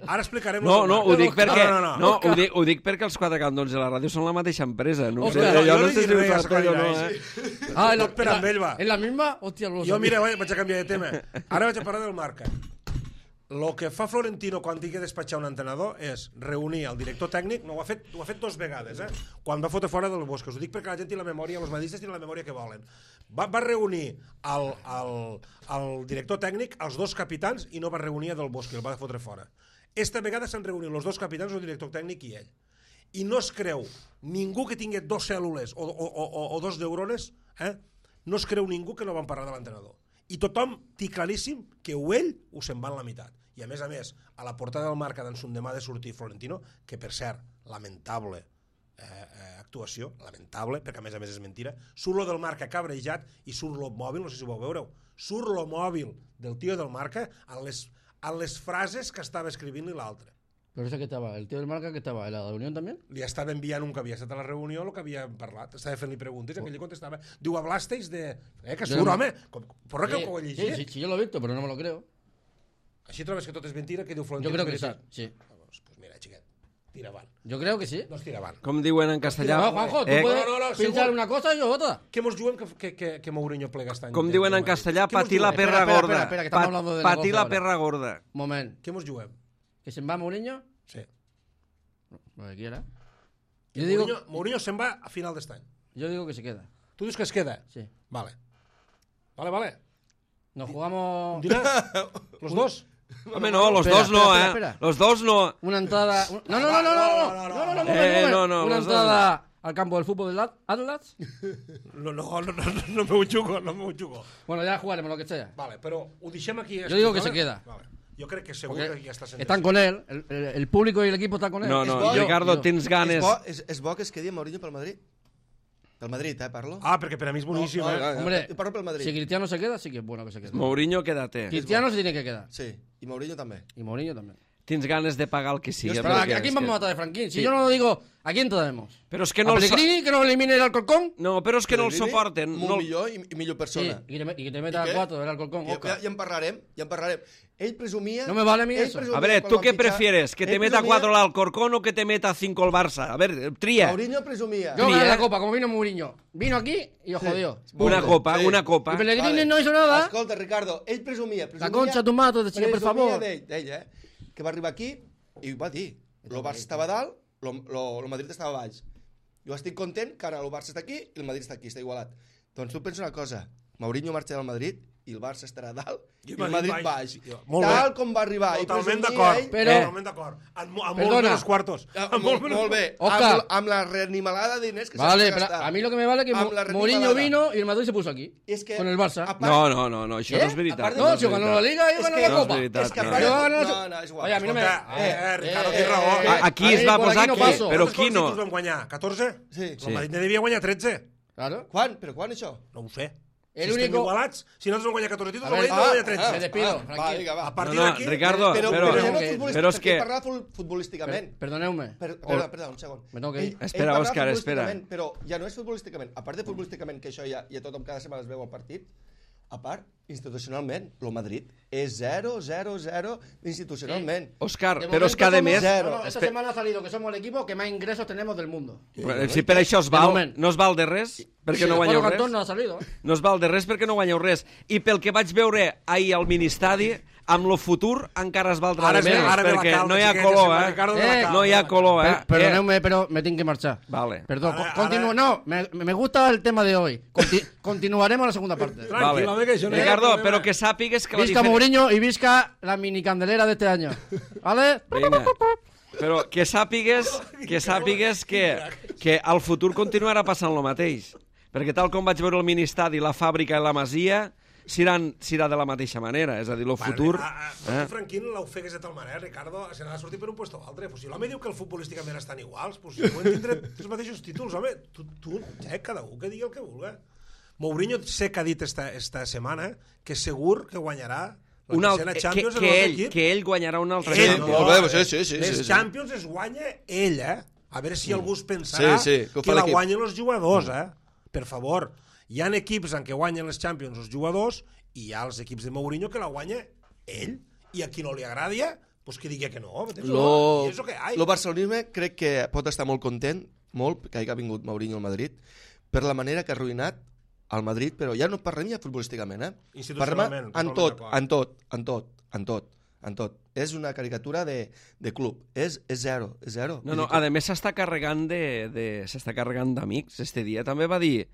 ara explicarem...
No,
lo
no,
del
ho
Marca.
dic perquè,
No, no, no.
no, ho, dic, ho dic perquè els quatre cantons de la ràdio són la mateixa empresa. No,
Òscar,
sé, jo
jo
no
no
sé si
diré
ho
res,
saps o no,
Jair,
eh?
Ah, en la,
Tot per
en la-
amb ell, va.
¿En la misma? Hostia, lo
Jo,
sabía.
mira, vaig a canviar de tema. Ara vaig a parlar del Marca. Lo que fa Florentino quan tingui que despatxar un entrenador és reunir el director tècnic, no, ho ha fet, ho ha fet dos vegades, eh? Quan va fotre fora del Bosque. Us ho dic perquè la gent té la memòria, els madridistes tenen la memòria que volen. Va, va reunir el, el, el director tècnic, els dos capitans, i no va reunir a del Bosque, el va fotre fora. Esta vegada s'han reunit els dos capitans, el director tècnic i ell. I no es creu ningú que tingui dos cèl·lules o, o, o, o dos neurones, eh? No es creu ningú que no van parlar de l'entrenador. I tothom té claríssim que o ell o se'n va en la meitat. I a més a més, a la portada del Marca d'en son demà de sortir Florentino, que per cert, lamentable eh, eh, actuació, lamentable, perquè a més a més és mentira, surt lo del Marca cabrejat i surt lo mòbil, no sé si ho veureu, surt lo mòbil del tio del Marca en les, en les frases que estava escrivint-li l'altre.
Pero ese que estaba, el tío del Marca que estaba, ¿en la reunión también?
Li estava enviant un que havia estat a la reunió el que havia parlat, estava fent-li preguntes i aquell li contestava, diu, hablasteis de... Eh, que
Jo
surt,
no-
home, com, porra que
Sí,
ho he
sí,
llegit.
sí, sí, yo lo he visto, pero no me lo creo.
Així trobes que tot és mentira, que diu Florentino?
Yo creo que sí,
veritat?
sí.
Ah, doncs, pues mira, xiquet, tira avant.
Yo creo que sí.
Doncs tira avant.
Com diuen en castellà...
No, Juanjo, tú
eh,
puedes
no, no, no,
pensar
segur.
una cosa y yo otra.
Què mos juguem que, que, que, que Mourinho plega este any?
com diuen en castellà,
Què mos
patir la
juguem?
perra
Espera, espera,
gorda.
espera, espera, que estamos
Pa-
hablando de
patir
negocio
la
ahora.
perra gorda.
Moment.
Què mos juguem?
¿Que se va Mourinho?
Sí.
Lo que quiera.
Que
Yo digo,
Mourinho, Mourinho se'n va a final d'este any.
yo digo que se queda.
Tu dius que es queda?
Sí.
Vale. Vale, vale.
Nos jugamos
Dirà? Los dos?
Home, no, los
Espera,
dos no,
espera,
eh?
espera, espera.
Los dos no.
una entrada... un- No, no, no, no, no, no, no, no, no, un moment,
Eh,
un moment.
no, no,
Una
los dos
entrada al campo del fútbol del At- Atlas.
No, no, no, no, no me ho jugo, no me ho jugo.
Bueno, ya jugaremos lo que sea.
Vale, però ho deixem aquí.
Yo digo que
vale?
se queda.
Vale. Jo crec que segur
Porque
que ja està sent
están con él, el, el- el público y el equipo está con él.
No,
Es
no,
bo-
Ricardo,
yo-
tens
És
ganes...
bo, és, és bo que es quedi Mourinho pel Madrid. Pel Madrid, eh, parlo.
Ah, perquè per a mi és boníssim,
No, no,
eh?
no, no.
Hombre,
Jo parlo pel Madrid.
si Cristiano se queda, sí que es bueno que se quede.
Mourinho, quédate.
Cristiano se tiene que quedar.
Sí, i Mourinho també.
Y Mourinho también.
Tens ganes de pagar el que sigui.
Pero
perquè
¿a, a quién
és
vamos a
que-
matar de Franquín? Si
Sí.
yo no lo digo, ¿a quién traemos?
Però és que
¿A
no el... so-
Pellegrini, que nos elimine el Alcorcón?
No, però és que no el
Pellegrini,
soporten.
Molt
No...
millor i, i millor
Sí,
persona.
y que, te, y que te meta
I què?
a cuatro del Alcorcón.
Ja,
Oscar.
ja, ja en parlarem, ja en parlarem. Ell presumia...
No me vale a mí
ell
eso.
presumia
A ver,
quan
¿tú
van
qué
fitxar-
prefieres? ¿Que te
ell
meta
presumia-
cuatro el Alcorcón o que te meta cinco el Barça? A ver, tría.
Mourinho presumia.
Yo
Sí,
gané
¿eh?
la copa, como vino Mourinho. Vino aquí y os
Sí.
jodió.
Una
Punto.
copa,
Sí.
una copa.
Y Pellegrini
Vale.
no hizo nada.
Escolta, Ricardo, ell presumia... presumia
La concha de tu madre, chica, por
presumia
favor.
d'ell, d'ell, eh? Que va arribar aquí i ho va dir. El Barça estava a dalt, el Madrid estava a baix. Jo estic content que ara el Barça està aquí i el Madrid està aquí, està igualat. Doncs tu pensa una cosa, Mourinho marxa del Madrid i el Barça estarà a dalt i el Madrid baix.
Molt
Tal
bé.
com va arribar. I
Totalment
presumia
d'acord.
ell-
Però-
Totalment d'acord. Amb, amb molts
Perdona.
menys quartos.
Ah,
Amb
molt,
menys
molt bé.
Oscar.
Amb, amb la reanimalada de diners que
Vale,
s'ha
pero
gastat.
a mí lo que me vale es que
Amb
Mo-
la
Mourinho
reanimalada.
vino y el Madrid se puso aquí.
És que,
Con el Barça.
a part-
No, no, no, no, això
¿Qué?
no és veritat.
Aparte-
No,
és
si ganó la
veritat.
liga y
És
ganó
que-
la
no és
copa.
veritat,
És que a
no.
part...
Yo
No,
gano-
no, no, és igual.
Oye, a mí no me...
Escolta, eh, eh, Ricardo,
eh,
tens raó.
eh,
A- aquí
a
es
mí
va
por
posar
aquí no
aquí,
paso.
però
Quants
qui no?
títols vam guanyar? catorze?
Sí.
El Madrid ne devia guanyar tretze.
Claro.
Quan? Però quan, això?
No ho sé.
El
si estem
único-
igualats, si nosaltres vam guanyar catorze títols,
A
el
ver,
Madrid ne
ah,
guanya
ah,
tretze.
me despido,
Ah,
Franqui.
va, vinga, va.
A partir
No, no,
d'aquí...
Ricardo,
Però,
però-
però,
però-
no
que-
futbolista,
però és
perquè
que-
parla fut- futbolísticament.
Per- Perdoneu-me.
Per, perdona, perdona, un segon.
Me tengo que ir.
Espera,
parla
Òscar, espera.
futbolísticament, Però ja no és futbolísticament. A part de futbolísticament, que això ja, ja tothom cada setmana es veu al partit, a part, institucionalment, el Madrid és zero, zero, zero institucionalment.
Òscar,
De
però és que a
momento
més...
somos-
Zero.
no, no, esta
Espe-
semana ha salido que somos el equipo que más ingresos tenemos del mundo.
Bueno, si per això es
De
val,
moment.
no es val de res, perquè
Sí,
no
el
guanyeu
Cuatro
res.
Cantón no ha salido. ¿eh?
No es val de res perquè no guanyeu res. I pel que vaig veure ahir al ministadi, amb lo futur encara es valdrà
Ara
de
es ve-
menys,
ara ve la
perquè
calma,
no hi ha
xiquets,
color,
sembla
eh?
Ricardo de la
Eh,
calma.
No hi ha color, eh?
Per- Perdoneu-me, però me tengo que marchar.
Vale.
Perdón,
Ara-
co- continúo.
ara-
No, me, me gusta el tema de hoy. Conti- continuaremos la segunda parte.
Tranquil,
Vale.
home, que això no hi ha
Ricardo,
problema.
però que sàpigues que la
Visca
diferència...
Mourinho y visca la mini candelera de este año. ¿Vale?
Vinga. Però que sàpigues que sàpigues que, que al futur continuarà passant el mateix. Perquè tal com vaig veure el ministadi, la fàbrica i la masia, seran, serà de la mateixa manera. És a dir, el futur...
Bueno, a, a, eh? Franquín l'ofegues de tal manera, Ricardo, se n'ha de sortir per un puesto o altre. Pues si l'home diu que el futbolísticament estan iguals, pues si poden tindre els mateixos títols, home, tu, tu eh, cada un que digui el que vulgui. Mourinho sé que ha dit esta, esta setmana que segur que guanyarà la
Un alt,
tercera
que,
Champions
que,
en el
ell,
equip.
que ell guanyarà un altre
Ell,
Champions.
molt bé, sí, sí, sí,
les
sí, sí.
Champions es guanya ell, eh? A veure si algú es pensarà
Sí, sí, que ho
que,
fa
la
l'equip.
guanyen els jugadors, eh? Per favor. Hi ha equips en què guanyen les Champions els jugadors i hi ha els equips de Mourinho que la guanya ell. I a qui no li agradi, pues que digui que no.
Lo,
I és el que hi
lo
ha.
barcelonisme crec que pot estar molt content, molt, que hagi vingut Mourinho al Madrid, per la manera que ha arruïnat al Madrid, però ja no parlem ja futbolísticament, eh?
Institucionalment,
Parlem en
totalment
tot,
d'acord.
en tot, en tot, en tot, en tot. És una caricatura de, de club. És, és zero, és zero.
No, no, a més s'està carregant de, de s'està carregant d'amics. Este dia també va dir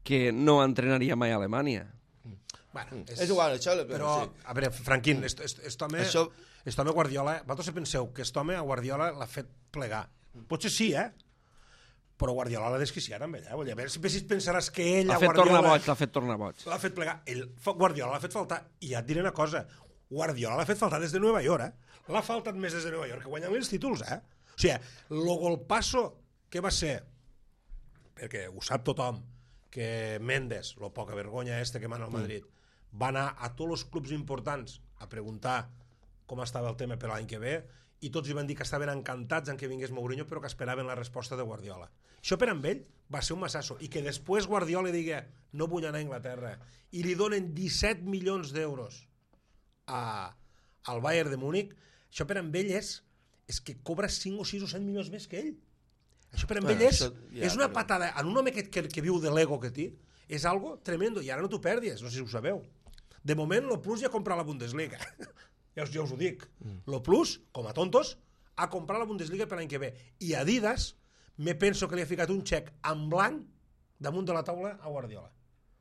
que no entrenaria mai a Alemanya.
Bueno,
és, és igual, això...
Però,
sí.
a veure, Franquín, est, est, est home,
Això-
est home Guardiola, vosaltres penseu que est home a Guardiola l'ha fet plegar. Potser sí, eh? Però Guardiola l'ha desquiciat amb ell, eh? Vull dir, a veure si si pensaràs que ell
L'ha
a
fet tornar
Guardiola...
boig, l'ha fet tornar boig.
L'ha fet plegar. Ell, Guardiola l'ha fet faltar. I ja et diré una cosa. Guardiola l'ha fet faltar des de Nova York, eh? L'ha faltat més des de Nova York, que guanyant els títols, eh? O sigui, el golpasso que va ser, perquè ho sap tothom, que Mendes, lo poca vergonya este que mana al Madrid, va anar a tots els clubs importants a preguntar com estava el tema per l'any que ve i tots li van dir que estaven encantats en que vingués Mourinho però que esperaven la resposta de Guardiola. Això per amb ell va ser un massasso i que després Guardiola digui no vull anar a Inglaterra i li donen disset milions d'euros a, al Bayern de Múnich, això per amb ell és, és que cobra cinc o sis o set milions més que ell. Això per amb
Bueno,
ell és,
això ja,
és una
però-
patada en un home que, que, que viu de l'ego que té, és algo tremendo i ara no t'ho perdis, no sé si ho sabeu. De moment, lo Plus ja ha comprat la Bundesliga. ja, us, ja us ho dic. Mm. Lo Plus, com a tontos, ha comprat la Bundesliga per l'any que ve. I Adidas, me penso que li ha ficat un xec en blanc damunt de la taula a Guardiola.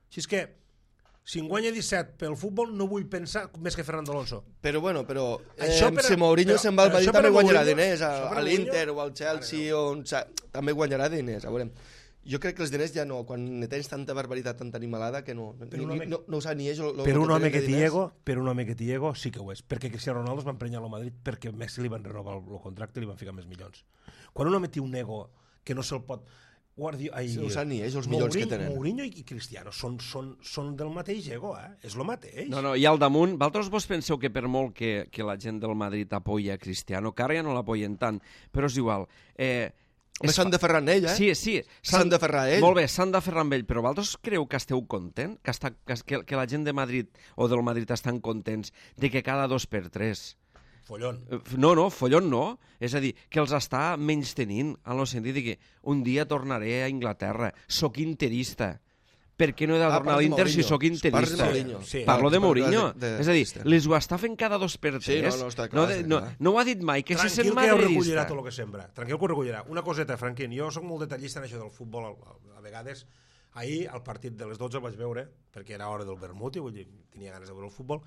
Així és que, si en guanya disset pel futbol, no vull pensar més que Fernando Alonso.
Però bueno, però eh,
Això per a-
si Mourinho
però-
se'n va al
però
Madrid
això per a
també guanyarà
Mourinho-
diners, a,
això per a
a l'Inter
Mourinho-
o al Chelsea o on, sa- també guanyarà diners, a veure. Jo crec que els diners ja no, quan tens tanta barbaritat, tanta animalada, que no,
Per
ni,
un
ni,
home-
no, no ho sap ni ells. Lo, lo,
Per
lo
un home
tenen
que
de
té
diners.
ego, per un home que té ego, sí que ho és. Perquè Cristiano Ronaldo es va emprenyar al Madrid perquè Messi li van renovar el, el contracte i li van ficar més milions. Quan un home té un ego que no se'l pot... Guardi... Ai,
Sí, ho saben ni ells, els milions que
Mourinho-
tenen.
Mourinho i Cristiano són, són, són del mateix ego, eh? És el mateix.
No, no, i al damunt, vosaltres vos penseu que per molt que, que la gent del Madrid apoya a Cristiano, que ara ja no l'apoyen tant, però és igual. Eh,
Home,
és
s'han de ferrar en ell, eh?
Sí, sí.
S'han de ferrar a ell.
Molt bé, s'han de ferrar amb ell, però vosaltres creu que esteu content? Que, està, que, que la gent de Madrid o del Madrid estan contents de que cada dos per tres...
Follón.
Eh, No, no, follon no. És a dir, que els està menys tenint, en el sentit de que un dia tornaré a Inglaterra, sóc interista. Per què no he de
Ah,
tornar a
parles de
l'Inter si
Mourinho.
sóc
Parles de
interista?
Mourinho.
Sí.
Parlo de
Parles
Mourinho.
de- de-
És a dir,
de-
les ho està fent cada dos per
Sí,
tres.
no, no, està clar,
no,
està
no,
clar.
no ho ha dit mai, que se sent
Tranquil que ho recollirà
madridista.
tot el que sembra. Tranquil que ho recollirà. Una coseta, Franquín, jo sóc molt detallista en això del futbol a, a, a vegades. Ahir, al partit de les dotze el vaig veure, perquè era hora del vermut i vull dir, tenia ganes de veure el futbol,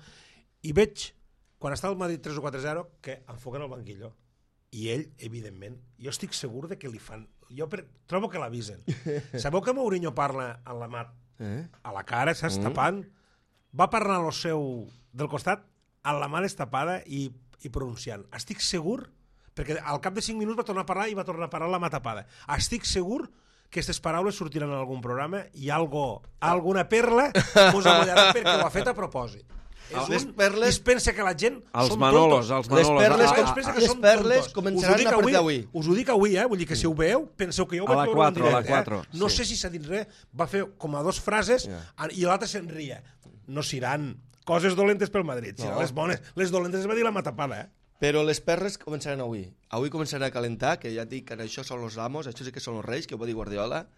i veig, quan està el Madrid tres o quatre zero, que enfoquen el banquillo. I ell, evidentment, jo estic segur de que li fan... Jo per... trobo que l'avisen. Sabeu que Mourinho parla en la mat
Eh?
a la cara, saps, mm. tapant? Va parlar el seu del costat amb la mà destapada i, i pronunciant. Estic segur, perquè al cap de cinc minuts va tornar a parlar i va tornar a parlar amb la mà tapada. Estic segur que aquestes paraules sortiran en algun programa i algo, alguna perla us amollarà perquè ho ha fet a propòsit. És
Les
un,
perles-
I es pensa que la gent
Els
som
Manolos,
tontos.
els
Les
Manolos.
perles
Ah,
Ah,
com-
es pensa que
les
som
perles
tontos.
començaran
Us ho dic
a partir
avui,
d'avui.
Us ho dic avui, eh? Vull dir que si ho veieu, penseu que jo ho
A
vaig
la
veure
quatre,
en
a la
directe.
quatre,
Eh? No
sí.
sé si s'ha dit res, va fer com a dos frases
Ja.
i l'altre se'n ria. No seran coses dolentes pel Madrid, seran
No.
les bones. Les dolentes es va dir la matapada, eh?
Però les perles començaran avui. Avui començaran a calentar, que ja et dic que això són els amos, això sí que són els reis, que ho va dir Guardiola.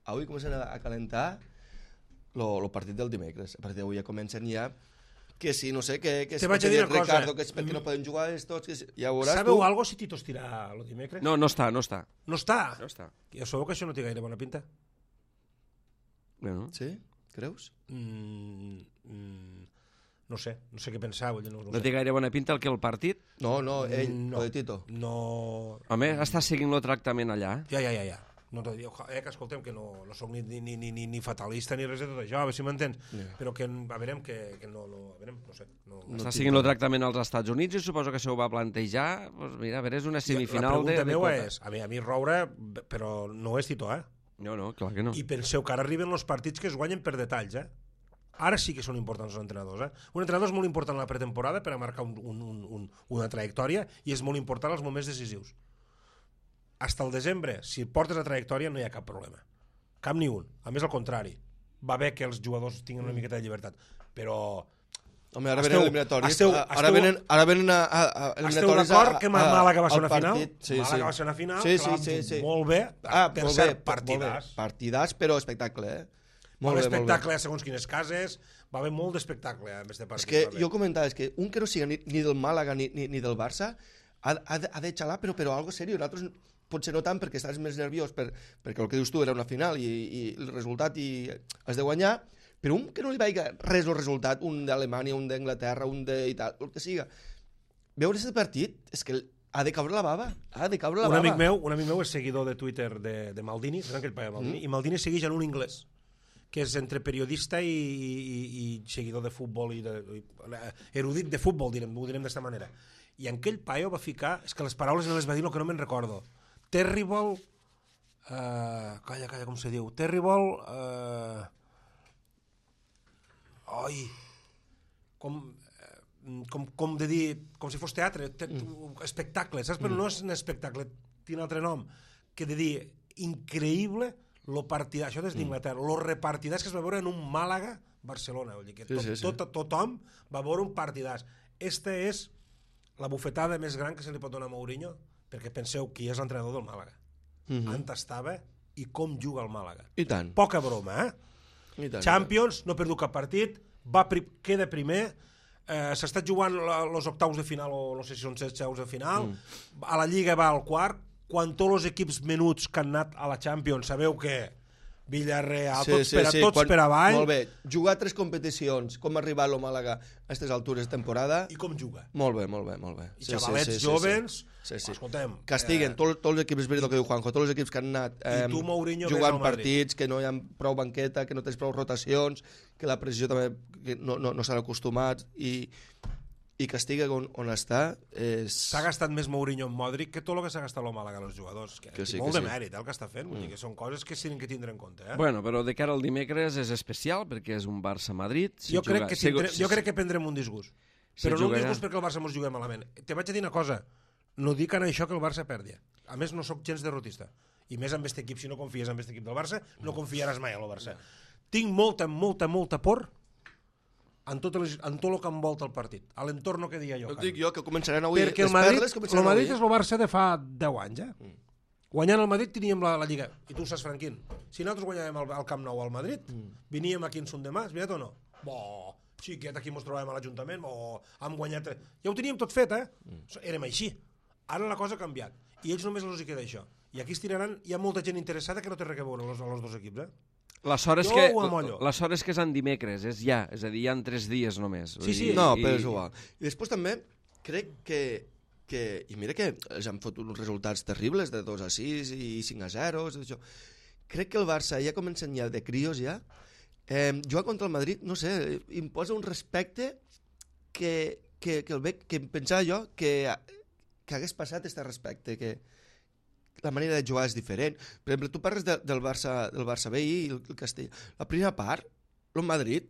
Avui començaran a calentar el partit del dimecres. A partir d'avui ja comencen ja que si, no sé, que, que
Te vaig a dir una cosa.
Ricardo, que és perquè no poden jugar els tots, que si, ja ho veuràs
Sabeu
tu.
algo si Tito estirà el dimecres?
No, no està, no està.
No està?
No està.
Ja sabeu que això no té gaire bona pinta?
Bueno.
Sí? Creus?
Mm, mm, no sé, no sé què pensar. Vull dir, no, no,
No
sé.
té gaire bona pinta el que el partit?
No, no, ell,
No.
no. de Tito.
No...
Home, està seguint el tractament allà.
Ja, ja, ja, ja. No t'ho dic, eh, que escoltem, que no, no soc ni, ni, ni, ni, ni fatalista ni res de tot això, a veure si m'entens.
Yeah.
Però que, a veure, que, que no, no, a veure, no sé. No,
No
Està
tinc
seguint el
clar.
tractament als Estats Units i suposo que se ho va plantejar. Pues mira, a veure, és una semifinal
la
de...
pregunta
de
meva
Copa.
és, a mi, a mi Roure, però no és Tito, eh?
No, no, clar que no.
I penseu que ara arriben els partits que es guanyen per detalls, eh? Ara sí que són importants els entrenadors, eh? Un entrenador és molt important a la pretemporada per a marcar un, un, un, un, una trajectòria i és molt important als moments decisius. Hasta el desembre, si portes la trajectòria no hi ha cap problema. Cap ni un. A més, al contrari. Va bé que els jugadors tinguin una miqueta de llibertat. Però...
Home, ara
Esteu-
venen eliminatòries.
esteu-
ara
esteu-
venen, ara venen a, a, a
Esteu
eliminatòries
d'acord
a-
que
a-
Màlaga va ser
al
una final?
partit. Sí,
Màlaga
sí.
va ser una final,
Sí,
clar,
sí, sí, sí.
molt bé.
Ah,
per
molt
cert,
bé,
partidàs.
molt bé. Partidàs, però espectacle, eh?
Va
Molt
haver
bé, molt bé.
espectacle a segons quines cases, va haver molt d'espectacle a més de
És
partit.
que
va haver.
jo comentava, és que un que no siga ni, ni del Màlaga ni, ni, ni del Barça ha, ha, de, ha de xalar, però, però algo seriós. Nosaltres potser no tant perquè estàs més nerviós per, perquè el que dius tu era una final i, i el resultat i has de guanyar, però un que no li vaiga res el resultat, un d'Alemanya, un d'Anglaterra, un d'Itàlia, el que siga, veure aquest partit és que ha de caure la bava, ha de caure la
un
bava.
amic meu, un amic meu és seguidor de Twitter de, de Maldini, saps aquell paio de Maldini? Mm. I Maldini segueix en un anglès, que és entre periodista i, i, i seguidor de futbol i, de, i erudit de futbol, direm, ho direm d'esta manera. I en aquell paio va ficar, és que les paraules no les va dir, el que no me'n recordo. Terrible... Uh, calla, calla, com se diu? Terrible... Uh, oi... Com, eh, com, com de dir... Com si fos teatre, te, mm. espectacle, saps? Però mm. no és un espectacle, té un altre nom, que de dir increïble lo partidàs, això des d'Inglaterra, mm. lo repartidàs que es va veure en un Màlaga-Barcelona, vull dir que tot,
sí, sí, sí.
tot, tothom va veure un partidàs. Esta és la bufetada més gran que se li pot donar a Mourinho, perquè penseu qui és l'entrenador del Màlaga. Mm-hmm. On estava i com juga el Màlaga.
I tant.
Poca broma, eh?
I tant.
Champions, no ha perdut cap partit, va pri queda primer, eh, s'està jugant els octaus de final, o no sé si són set octaus de final, mm. a la Lliga va al quart, quan tots els equips menuts que han anat a la Champions, sabeu que Villarreal, sí, tots, sí, per a, sí. tots Quan, per avall.
Molt bé, jugar tres competicions, com ha arribat el Màlaga a aquestes altures de temporada.
I com juga.
Molt bé, molt bé, molt bé.
I sí, xavalets sí, sí, jovens,
sí, sí.
escoltem...
Castiguen
eh,
tots, tots els equips, és veritat el que diu Juanjo, tots els equips que han anat eh,
tu, Mourinho,
jugant partits, que no hi ha prou banqueta, que no tens prou rotacions, que la precisió també que no, no, no s'han acostumat, i, i castiga on, on està. És...
S'ha gastat més Mourinho en Modric que tot el que s'ha gastat el Màlaga als jugadors. Que,
que sí,
molt
que
de
sí.
mèrit el que està fent, vull dir que són coses que s'han de tindre en compte. Eh?
Bueno, però de cara al dimecres és especial perquè és un Barça-Madrid. Si
jo, crec
juga...
que
si...
tindrem, jo crec que prendrem un disgust.
Si
Però no un
jugarà...
disgust perquè el Barça mos juguem malament. Te vaig a dir una cosa, no dic en això que el Barça perdi. A més, no sóc gens derrotista. I més amb aquest equip, si no confies en aquest equip del Barça, no confiaràs mai en el Barça. Tinc molta, molta, molta por en tot, les, en tot el que envolta el partit, a l'entorn que deia jo.
No dic jo, que començaran avui.
Perquè el
les
Madrid,
perles
el
començaran
Madrid
avui.
és el Barça de fa deu anys, eh? Mm. Guanyant el Madrid teníem la, la Lliga, i tu ho saps, Franquín. Si nosaltres guanyàvem el, el Camp Nou al Madrid, mm. veníem aquí en Son de Mas, veritat o no? Bo, xiquet, aquí ens trobàvem a l'Ajuntament, bo, hem guanyat... Ja ho teníem tot fet, eh? Mm. Érem així. Ara la cosa ha canviat, i ells només els hi queda això. I aquí es tiraran, hi ha molta gent interessada que no té res a veure els, els dos equips, eh?
La sort és
Jo
que,
ho amollo.
la sort és que és en dimecres, és ja, és a dir, hi ha tres dies només.
Sí, sí.
No, però és igual. I després també crec que, que i mira que els han fotut uns resultats terribles de dos a sis i cinc a zero, això. Crec que el Barça ja comença ja de crios ja, eh, jugar contra el Madrid, no sé, imposa un respecte que, que, que el veig, que pensava jo que, que hagués passat este respecte, que la manera de jugar és diferent. Per exemple, tu parles de, del Barça del Barça B i el, el Castell. La primera part, el Madrid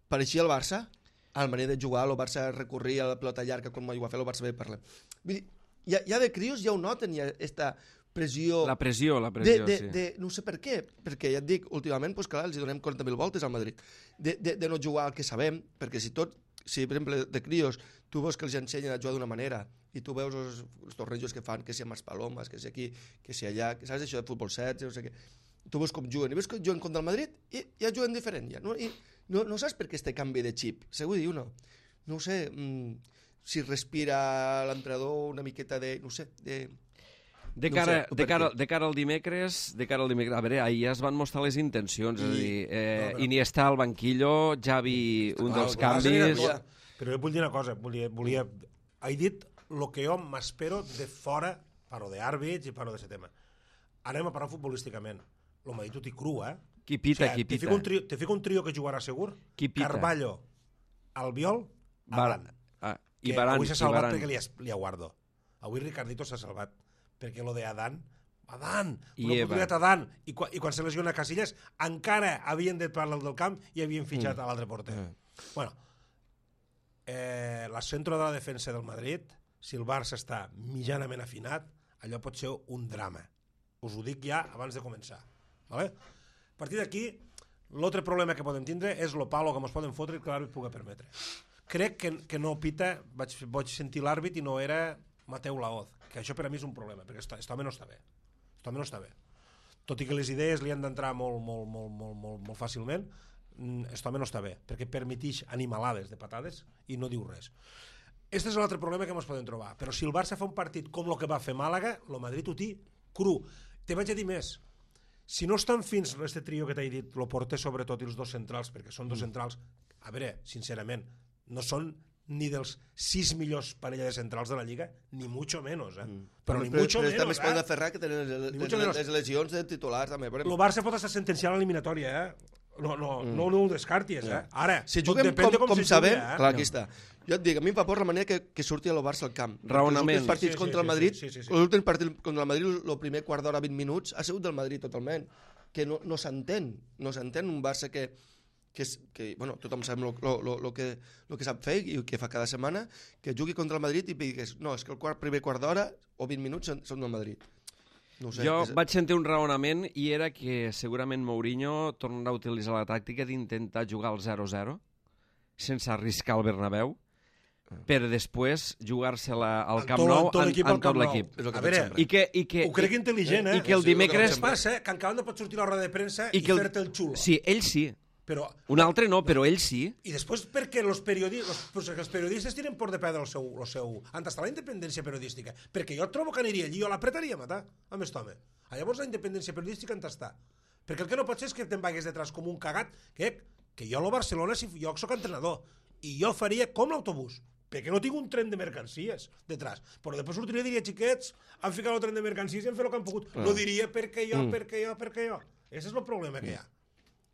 pareixia el Barça, a la manera de jugar, el Barça recorria a la pelota llarga com ho va fer el Barça B, parlem. Vull dir, ja, ja de crios ja ho noten, ja esta pressió...
La pressió, la pressió,
de, de,
sí.
De, no sé per què, perquè ja et dic, últimament, pues, clar, els donem quaranta mil voltes al Madrid. De, de, de no jugar al que sabem, perquè si tot, si per exemple de crios tu veus que els ensenyen a jugar d'una manera i tu veus els, els tornejos que fan, que si amb els palomes, que si aquí, que si allà, que saps això de futbol set, no sé què, tu veus com juguen, i veus que juguen contra el Madrid i ja juguen diferent. Ja, no? I no, no saps per què este canvi de xip. Segur dir uno. No ho sé, mmm, si respira l'entrenador una miqueta de... No sé, de...
De
No
cara,
sé,
de,
per
cara,
què?
de cara al dimecres, de cara al dimecres, a veure, ahir ja es van mostrar les intencions, I, és a dir, eh,
no, però-
Iniesta al banquillo, Xavi, un
Clar,
dels
el Barça anirà
canvis...
millor. Però jo vull dir una cosa, volia, volia... he dit el que jo m'espero de fora, parlo d'àrbits i parlo de aquest tema. Anem a parlar futbolísticament. El Madrid ho té cru, eh?
Qui pita,
O sigui,
qui
te
pita.
fico un trio, te fico un trio que jugarà segur.
Qui pita?
Carballo, Albiol, Adan.
Ah,
Que
I Varane,
avui s'ha
i
salvat
Varane.
perquè li, has- li aguardo. Avui Ricardito s'ha salvat. Perquè lo de Adan, Adan,
I
una
Eva.
oportunitat Adan. I, quan, I quan se lesiona Casillas, encara havien de parlar del camp i havien fitxat mm. a l'altre porter.
Mm.
Bueno, eh, la centro de la defensa del Madrid, si el Barça està mitjanament afinat, allò pot ser un drama. Us ho dic ja abans de començar. Vale? A partir d'aquí, l'altre problema que podem tindre és lo palo que ens poden fotre i que l'àrbit pugui permetre. Crec que, que no pita, vaig, vaig sentir l'àrbit i no era Mateu Laoz, que això per a mi és un problema, perquè aquest home no està bé. Aquest home no està bé. Tot i que les idees li han d'entrar molt, molt, molt, molt, molt, molt fàcilment, aquest home no està bé, perquè permetix animalades de patades i no diu res. Aquest és l'altre problema que ens podem trobar. Però si el Barça fa un partit com el que va fer Màlaga, el Madrid ho té cru. Te vaig a dir més. Si no estan fins este trio que t'he dit, el porter sobretot i els dos centrals, perquè són dos centrals, a veure, sincerament, no són ni dels sis millors parella de centrals de la Lliga, ni mucho menos, eh? Mm. Però ni
però,
mucho
però
menos,
també es pot
eh?
aferrar que tenen les,
Ni
les,
mucho
les,
menos.
les lesions de titulars també.
El Barça pot estar sentenciant l'eliminatòria, eh? No, no, mm. no, no ho descartis, eh? Ara,
Si
tot
juguem
depèn
com,
de com,
com
se
sabem,
jugui, eh?
clar, aquí està. Jo et dic, a mi em fa por la manera que, que surti el Barça al camp.
Raonament.
Els últims partits
Sí, sí,
contra
sí,
el Madrid,
sí, sí, sí.
l'últim partit contra el Madrid, el primer quart d'hora, vint minuts, ha sigut del Madrid totalment. Que no, no s'entén, no s'entén un Barça que, que, és, que bueno, tothom sap el que, lo que sap fer i que fa cada setmana, que jugui contra el Madrid i digués, no, és que el quart, primer quart d'hora o vint minuts són, són del Madrid. No ho sé,
Jo
és...
vaig sentir un raonament i era que segurament Mourinho tornarà a utilitzar la tàctica d'intentar jugar al zero zero sense arriscar el Bernabéu per després jugar-se-la al
Amb
Camp
tot-
Nou
amb tot
en,
l'equip
en
al
tot
Camp Nou.
l'equip.
És el que
A
faig
veure,
sempre.
I que, i que,
Ho crec intel·ligent, eh?
I que el
És el que
dimecres...
El que passa, eh? Que encara no pot sortir a la roda de premsa i,
I que el-
fer-te el xulo.
Sí, ell sí.
Però,
Un altre no, però ell sí.
I després perquè los periodistes, los, els periodistes tiren por de perdre el seu, el seu... On està la independència periodística? Perquè jo trobo que aniria allí, jo l'apretaria a matar, amb aquest home. Llavors la independència periodística on està? Perquè el que no pot ser és que te'n vagues detrás com un cagat, que, que jo a lo Barcelona, si jo soc entrenador, i jo faria com l'autobús, perquè no tinc un tren de mercancies detrás. Però després sortiria i diria, xiquets, han ficat el tren de mercancies i han fet el que han pogut. Ah. No diria perquè jo, mm. perquè jo, perquè jo. Ese és el problema que hi ha.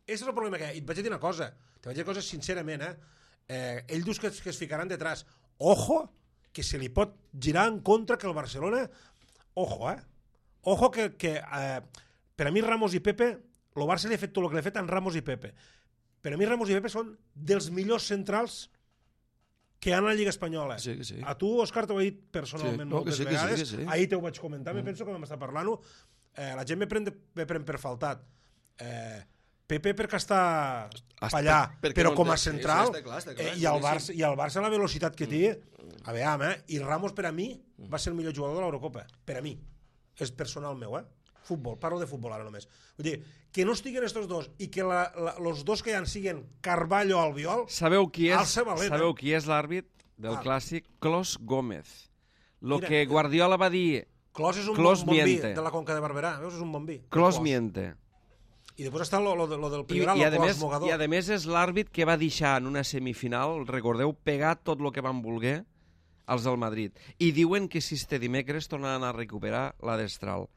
Ese és el problema que hi ha. I et vaig a dir una cosa, te vaig dir una cosa sincerament, eh? eh ell dius que, que es ficaran detrás. Ojo, que se li pot girar en contra que el Barcelona... Ojo, eh? Ojo que, que eh, per a mi Ramos i Pepe, el Barça li ha fet tot el que li ha fet en Ramos i Pepe. Per a mi Ramos i Pepe són dels millors centrals que hi ha a la Lliga Espanyola.
Sí, que sí.
A tu, Òscar, t'ho he dit personalment
Sí, no, que
moltes
sí, que sí,
vegades.
que sí.
Ahir t'ho vaig comentar, mm. me penso que vam estar parlant-ho. Eh, la gent me pren, de, me pren per faltat. Eh, Pepe perquè està
Està-
allà,
perquè
però
no
com a
té- sí,
central,
sí, està clar, està clar,
eh, i, el
sí,
Barça,
sí.
i el Barça la velocitat que té, a veure, eh? I Ramos per a mi va ser el millor jugador de l'Eurocopa, per a mi, és personal meu, eh? Futbol, parlo de futbol ara només. Vull dir, que no estiguen estos dos i que la, la, los dos que hi han siguen Carballo o Albiol,
Sabeu qui és,
Alça valent,
sabeu
eh?
qui és l'àrbit del
Ah.
clàssic? Clos Gómez. Lo
Mira,
que Guardiola va dir,
Clos és un
Clos
bon, bon vi
miente.
de la Conca de Barberà, veus? És un bon vi.
Clos
Clos.
miente.
I després està lo, lo, lo del
I,
Priorat,
i, a
el Clos
més,
Mogador.
I a més és l'àrbit que va deixar en una semifinal, recordeu, pegar tot el que van voler els del Madrid. I diuen que si este dimecres tornaran a recuperar la destral.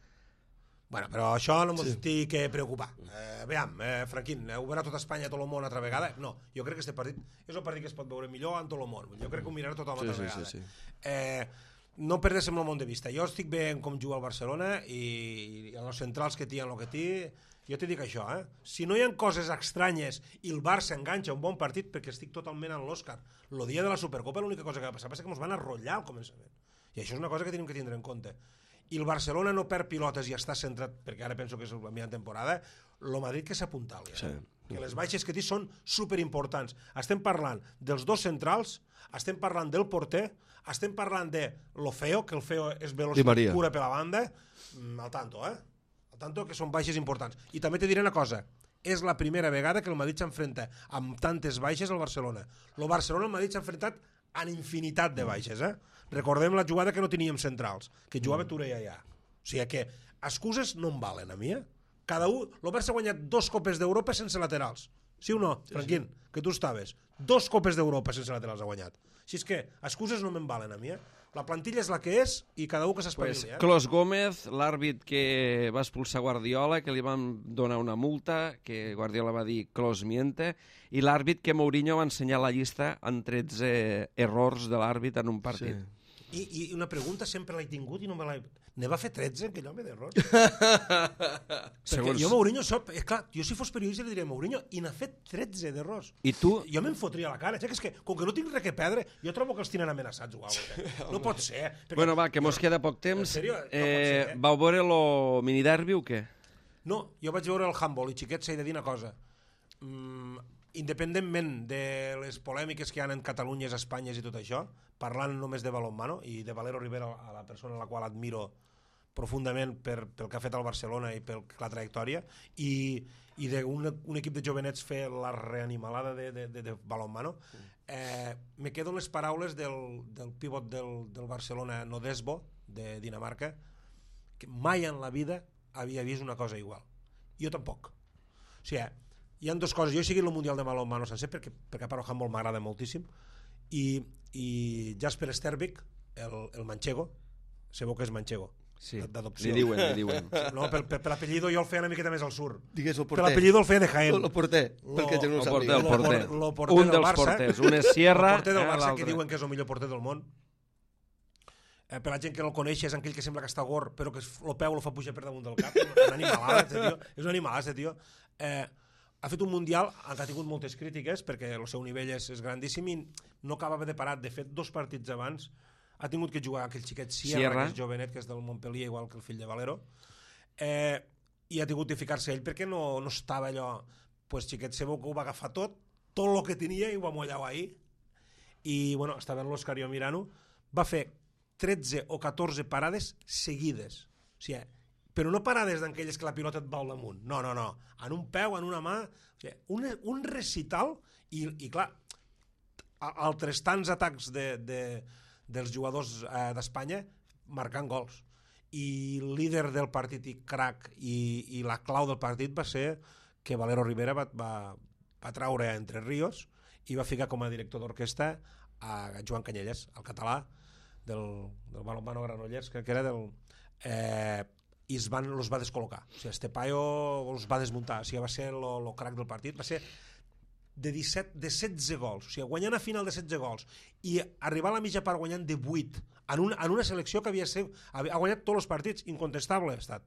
Bueno, però això no ens sí. té que preocupar. Eh, veiem, eh, Franquín, ho veurà tot Espanya, tot el món altra vegada? No, jo crec que aquest partit és un partit que es pot veure millor en tot el món. Jo crec que ho mirarà tothom
Sí,
altra
sí,
vegada.
sí, sí.
Eh, no perdéssim el món de vista. Jo estic bé en com juga el Barcelona i, i en els centrals que té, en el que té, jo t'he dit això, eh? Si no hi ha coses estranyes i el Barça enganxa un bon partit, perquè estic totalment en l'Òscar, el dia de la Supercopa l'única cosa que va passar va ser que ens van arrotllar al començament. I això és una cosa que tenim que tindre en compte. I el Barcelona no perd pilotes i està centrat, perquè ara penso que és la millor temporada, el Madrid que s'apuntali.
Sí.
Que les baixes que té són superimportants. Estem parlant dels dos centrals, estem parlant del porter, estem parlant de lo feo, que el feo és
Di
velocitat
Maria.
pura per la banda, mm, al tanto, eh? Al tant, que són baixes importants. I també te diré una cosa, és la primera vegada que el Madrid s'enfrenta amb tantes baixes al Barcelona. El Barcelona el Madrid s'ha enfrontat en infinitat de baixes, eh? Recordem la jugada que no teníem centrals, que jugava Touré allà. O sigui que excuses no em valen a mi, eh? Cada un, el Barça ha guanyat dos copes d'Europa sense laterals. Sí o no, sí, Franquín? Sí. Que tu estaves. Dos copes d'Europa sense laterals ha guanyat. Així és que excuses no me'n valen a mi, eh? La plantilla és la que és i cada un que s'espavili.
Pues,
eh?
Clos Gómez, l'àrbit que va expulsar Guardiola, que li van donar una multa, que Guardiola va dir Clos miente, i l'àrbit que Mourinho va ensenyar la llista en tretze errors de l'àrbit en un partit.
Sí.
I, I una pregunta sempre l'he tingut i no me l'he... Ne va fer tretze, aquell home, d'errors? Perquè
Segons...
jo Mourinho, sóc... eh, clar, jo si fos periodista li diria Mourinho, i n'ha fet tretze d'errors.
I tu?
Jo me'n fotria a la cara. Ja que és que, com que no tinc res que perdre, jo trobo que els tenen amenaçats o alguna cosa. No pot ser. Perquè...
Bueno, va, que mos queda poc temps.
En sèrio? No pot
eh,
ser, eh?
Vau veure el miniderbi o què?
No, jo vaig veure el handball i xiquet s'ha de dir una cosa. Mm, independentment de les polèmiques que hi ha en Catalunya, Espanya i tot això, parlant només de balonmano i de Valero Rivera, a la persona a la qual admiro profundament per, pel que ha fet al Barcelona i per la trajectòria, i, i d'un un equip de jovenets fer la reanimalada de, de, de, de balonmano, eh, me quedo les paraules del, del pivot del, del Barcelona, Nodesbo, de Dinamarca, que mai en la vida havia vist una cosa igual. Jo tampoc. O sigui, hi ha dues coses. Jo he seguit el Mundial de balonmano sencer perquè, perquè a part el handball m'agrada moltíssim, i, i Jasper Stervik, el, el manchego, sabeu que és manchego?
Sí,
d'adopció.
li diuen, li diuen.
No, per, per, per l'apellido jo el feia una miqueta més al sur.
Digues el
Per
porter.
l'apellido el feia de Jaén.
El porter, perquè jo no
El
ho
porter,
sàpiga.
el porter.
Lo por- lo porter
Un
del
dels
Barça.
porters. Un és Sierra,
El porter del
eh,
Barça, que
l'altre.
diuen que és el millor porter del món. Eh, per la gent que no el coneix, és aquell que sembla que està gor, però que el peu el fa pujar per damunt del cap. És un animalada, este tio. És un animalada, este tio. Eh, ha fet un Mundial en què ha tingut moltes crítiques, perquè el seu nivell és, és grandíssim i no acabava de parar. De fet, dos partits abans ha tingut que jugar aquell xiquet Sierra,
Sierra.
que és jovenet, que és del Montpellier, igual que el fill de Valero, eh, i ha tingut de ficar-se ell perquè no, no estava allò, pues xiquet seu que ho va agafar tot, tot el que tenia i ho va mollar ahir, i bueno, estava en l'Òscar jo mirant-ho, va fer tretze o catorze parades seguides, o sigui, però no parades d'aquelles que la pilota et va al damunt, no, no, no, en un peu, en una mà, o sigui, un, un recital, i, i clar, altres tants atacs de, de, dels jugadors eh, d'Espanya marcant gols, i el líder del partit i crack i, i la clau del partit va ser que Valero Rivera va, va, va traure a Entre Ríos i va ficar com a director d'orquestra a Joan Canyelles, el català del, del balonmano Granollers, crec que era del... Eh, i es van, los va descol·locar, o sigui, este paio els va desmuntar, o sigui, va ser el crack del partit, va ser de, disset, de setze gols, o sigui, guanyant a final de setze gols i arribar a la mitja part guanyant de vuit en una, en una selecció que havia, ser, havia guanyat tots els partits, incontestable ha estat,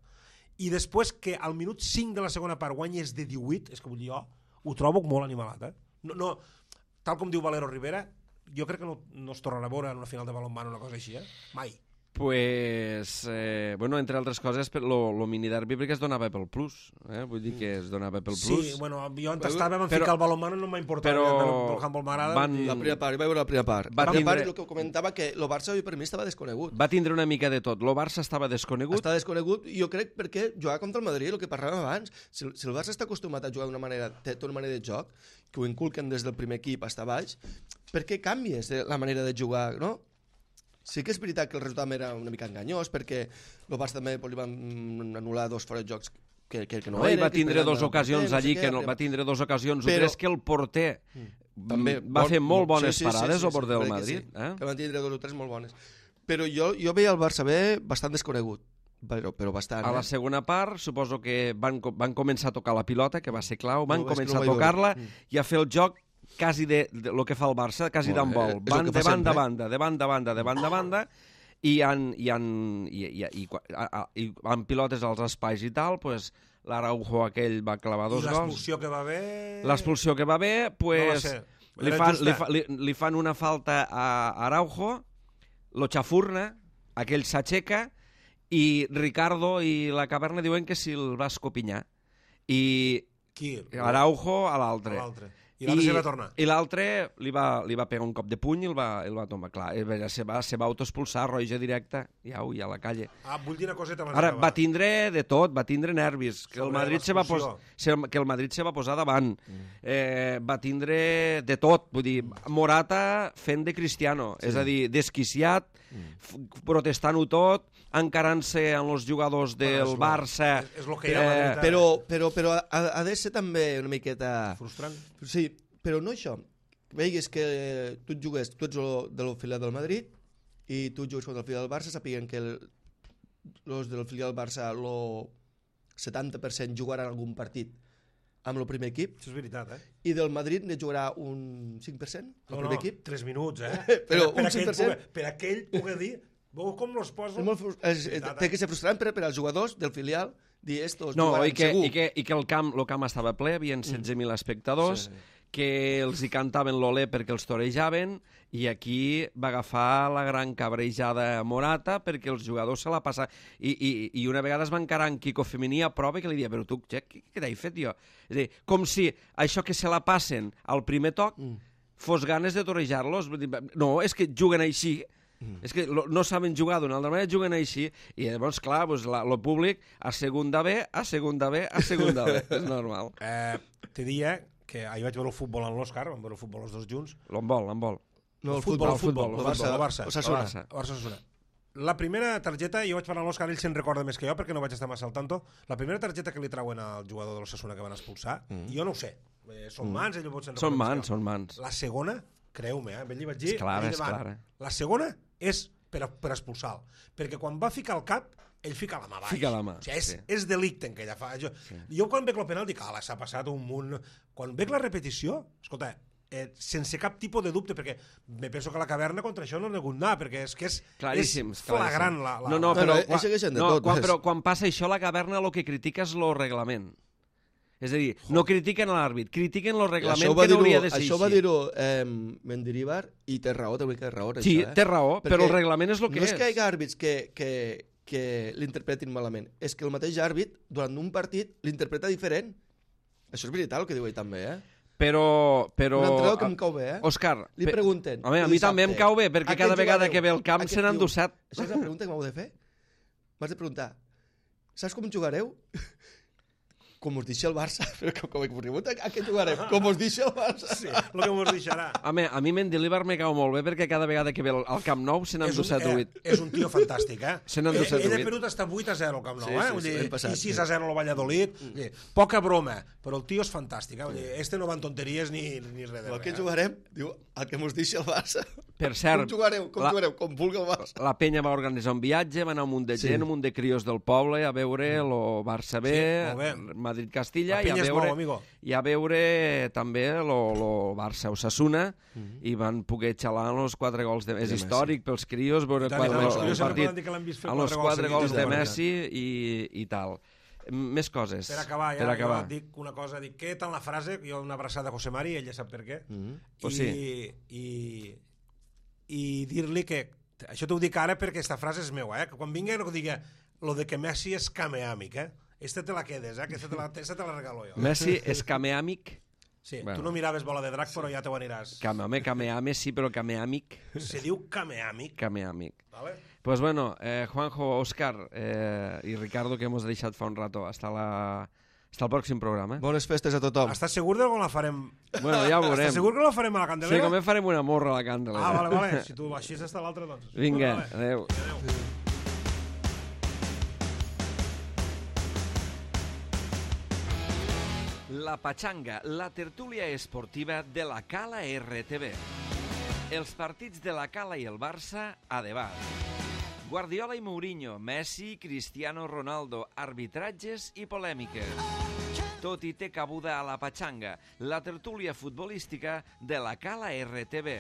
i després que al minut cinc de la segona part guanyes de divuit, és que vull dir, jo ho trobo molt animalat, eh? no, no, tal com diu Valero Rivera, jo crec que no, no es tornarà a veure en una final de balonmano una cosa així, eh? Mai.
Pues, eh, bueno, entre altres coses, lo, lo miniderbi perquè es donava pel plus, eh? Vull dir que es donava pel plus.
Sí, bueno, jo on estava vam
però,
ficar el balonmano, no m'ha importat,
però
el, el handball m'agrada.
van-
i-
La primera part, jo vaig veure la primera part.
Va
La primera
tindre-
part, el que comentava, que el Barça per mi estava desconegut.
Va tindre una mica de tot. Lo Barça estava desconegut.
Està desconegut, i jo crec perquè jugava contra el Madrid, el que parlàvem abans. Si, el- si el Barça està acostumat a jugar d'una manera, té té una manera de joc, que ho inculquen des del primer equip fins a baix, per què canvies de la manera de jugar, no? Sí que és veritat que el resultat era una mica enganyós, perquè el Barça també pues, li van anul·lar dos fora de jocs que, que, que no,
No,
eren.
i va
que
tindre
esperaven
dues
del
ocasions
porter,
allí,
sé
que
què,
no, va tindre dues ocasions.
Però-
Però és que el porter
també
va
bon-
fer molt bones
sí, sí,
parades,
sí, sí,
el porter del
crec que
Madrid.
sí,
Eh?
que van tindre dos o tres molt bones. Però jo, jo veia el Barça B bastant desconegut, però, però bastant.
A la
eh?
segona part, suposo que van, co- van començar a tocar la pilota, que va ser clau, van
No, és que
començar
no
a
ho vaig
tocar-la
veure. Mm.
i a fer el joc quasi de, de lo que fa el Barça, quasi
Molt bé,
d'handbol.
és el
Van
que
de
fa
banda a
sempre.
banda, de banda a banda, de banda a banda, i han, i han, i, i, i, a, a, i amb pilotes als espais i tal, pues, l'Araujo aquell va clavar dos
I
gols.
l'expulsió que va haver...
L'expulsió que va haver, pues,
No va ser.
li,
Era
fan,
justa.
li, fa, li, li fan una falta a Araujo, lo xafurna, aquell s'aixeca, i Ricardo i la Caverna diuen que si el va escopinyar. I
Qui?
Araujo a l'altre.
A l'altre. I l'altre se va tornar.
I l'altre li, va, li va pegar un cop de puny i el va, el va tomar. Clar, se va, se va autoexpulsar, roja directa, i au, i a la calle.
Ah, vull dir una coseta abans
Ara,
d'acabar.
va tindre de tot, va tindre nervis, que el
Sobre
Madrid se va, pos, se, que el Madrid se va posar davant, mm. eh, va tindre de tot, vull dir, Morata fent de Cristiano, sí. és a dir, desquiciat, mm. protestant-ho tot, encarant-se amb els jugadors del
bueno, és
Barça.
És, és lo que hi ha a Madrid,
Però, però, però ha, ha de ser també una miqueta...
frustrant.
Sí, però no això. Veigues que tu et jugues, tu ets lo, de la filial del Madrid i tu jugues contra el filial del Barça, sapiguen que els del filial del Barça el setanta per cent jugaran algun partit amb el primer equip.
Això és veritat, eh?
I del Madrid ne jugarà un cinc per cent el
No,
primer
no,
equip.
tres minuts, eh?
Però
per,
un cinc per cent.
Pugui, per aquell pugui dir, veu com los poso?
És molt, frus- és, és, té que ser frustrant per, per als jugadors del filial dir estos
No,
jugaran
i que,
segur.
i que, i que el camp, el camp estava ple, hi havia setze mil espectadors,
Sí.
que els hi cantaven l'olé perquè els torejaven, i aquí va agafar la gran cabrejada Morata perquè els jugadors se la passaven. I, i, i una vegada es va encarar en Quico Femení a prova que li deia, però tu, què, què t'he fet jo? És a dir, com si això que se la passen al primer toc mm. fos ganes de torejar-los. No, és que juguen així. Mm. És que lo, no saben jugar d'una altra manera, juguen així. I llavors, clar, pues, la, lo públic a segunda B, a segunda B, a segunda B. És normal.
Eh, te dia que ahir vaig veure el futbol amb l'Òscar, vam veure el futbol els dos junts.
L'handbol, l'handbol.
No,
el futbol, el futbol,
el
el
Barça,
futbol, el Barça.
Osasuna.
El Barça, el Barça Osasuna. La primera targeta, jo vaig parlar amb l'Òscar, ell se'n recorda més que jo perquè no vaig estar massa al tanto, la primera targeta que li trauen al jugador de l'Osasuna que van expulsar, mm. jo no ho sé, eh, són
Mm.
mans, ell potser se'n
Són
recorda més
mans,
que jo.
són mans.
La segona, creu-me, eh, ben li vaig dir,
És clara,
ahir
és
davant.
clara.
La segona és per, a, per expulsar-lo, perquè quan va ficar el cap, ell fica la mà baix.
Fica la mà,
O sigui, és,
sí.
és delicte en que ella fa. Jo, sí. jo quan veig el penal dic, ala, s'ha passat un munt... Quan veig la repetició, escolta, eh, sense cap tipus de dubte, perquè me penso que la caverna contra això no ha hagut anar, perquè és que és,
Claríssims,
és flagrant
claríssims.
la... la
No, no,
No,
però,
no,
quan,
això que gent de
no,
tot,
quan,
és-
però quan passa això, la caverna el que critica és el reglament. És a dir, no critiquen l'àrbit, critiquen el
I
reglament
això ho va
que no
dir-ho-
hauria de ser
Això va
així.
dir-ho eh, Mendilibar i té raó, té una mica de raó.
Sí,
això, eh?
té raó,
Perquè
però el reglament és el que
no
és.
és que hi hagi àrbits que, que, que l'interpretin malament, és que el mateix àrbit, durant un partit, l'interpreta diferent. Això és veritat el que diu ell també, eh?
Però... però
Un entrenador que em cau bé, eh?
Òscar,
Li
pe-
pregunten.
Home, a mi
dissabte,
també em cau bé, perquè
"A què
cada vegada
jugareu?"
que ve al camp
A què-
se n'han
diu,
endosat.
Això és la pregunta que m'heu de fer? M'has de preguntar, saps com jugareu? Com us deixa el Barça. Però com, com que pregunta, a què jugarem? Com us deixa el Barça.
Sí, el que mos deixarà.
Home, a mi Mendilibar me cau molt bé perquè cada vegada que ve al al Camp Nou se n'han
És un,
endosat
eh,
huit.
és un tio fantàstic, eh?
Se n'han endosat
Ell ha
huit.
perdut hasta vuit a zero al Camp Nou,
Sí,
eh?
sí,
Vull
sí,
dir,
l'any passat,
i sis
sí.
a zero al Valladolid. Vull dir, poca broma, però el tio és fantàstic, eh? Vull dir, este no va en tonteries ni, ni res de
A
res.
què
eh?
jugarem? Diu, a què us deixa el Barça.
Per cert,
Com jugareu? Com
la-
jugareu? Com vulgui el Barça.
La penya va organitzar un viatge, va anar un munt de
Sí.
gent, un munt de crios del poble a veure el Barça B,
Sí, molt bé.
Madrid-Castilla,
La
i a
penya es
veure,
mou, amigo.
i a veure també el Barça-Osasuna, i van poder xalar amb els quatre gols de... És
Messi.
històric pels crios veure
Tant,
quatre,
tant, els
el
crios sempre
partit
poden dir que l'han vist fer
amb els
quatre gols
quatre
seguits,
gols de
és de
Messi i, i tal. Més coses.
Per acabar, ja,
per acabar.
jo dic una cosa, dic, què tant la frase, jo una abraçada a José Mari, ell ja sap per què,
Mm.
Pues
i, i, i dir-li que, això t'ho dic ara perquè aquesta frase és meua, eh? que quan vingui no digui lo de que Messi és cameàmic, eh? Esta te la quedes, eh? Aquesta te la, esta te la regalo jo.
Messi és cameàmic.
Sí,
Bueno.
tu no miraves bola de drac, però ja te ho aniràs.
Came, home, cameame sí, però cameàmic.
Se diu cameàmic,
Cameàmic.
vale?
Pues bueno, eh, Juanjo, Óscar eh, y Ricardo, que hemos deixat fa un rato. Hasta, la... Hasta el pròxim programa.
Bones festes a tothom.
Estàs segur de com la farem?
Bueno, ja ho veurem.
Estàs segur que la farem a la
Sí,
Candelera?
com farem una morra a la càndela.
Ah, vale, vale. Si tu així està l'altre, doncs.
Vinga,
Vale.
adeu. La Pachanga, la tertúlia esportiva de la Cala R T V. Els partits de la Cala i el Barça a debat. Guardiola i Mourinho, Messi, Cristiano Ronaldo, arbitratges i polèmiques. Tot hi té cabuda a la Pachanga, la tertúlia futbolística de la Cala R T V.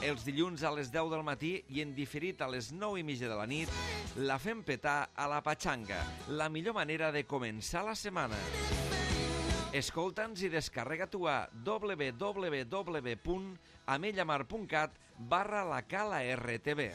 Els dilluns a les deu del matí i en diferit a les nou i mitja de la nit, la fem petar a la Pachanga, la millor manera de començar la setmana. Escolta'ns i descarrega tu a w w w punt amellamar punt cat barra la Cala R T V.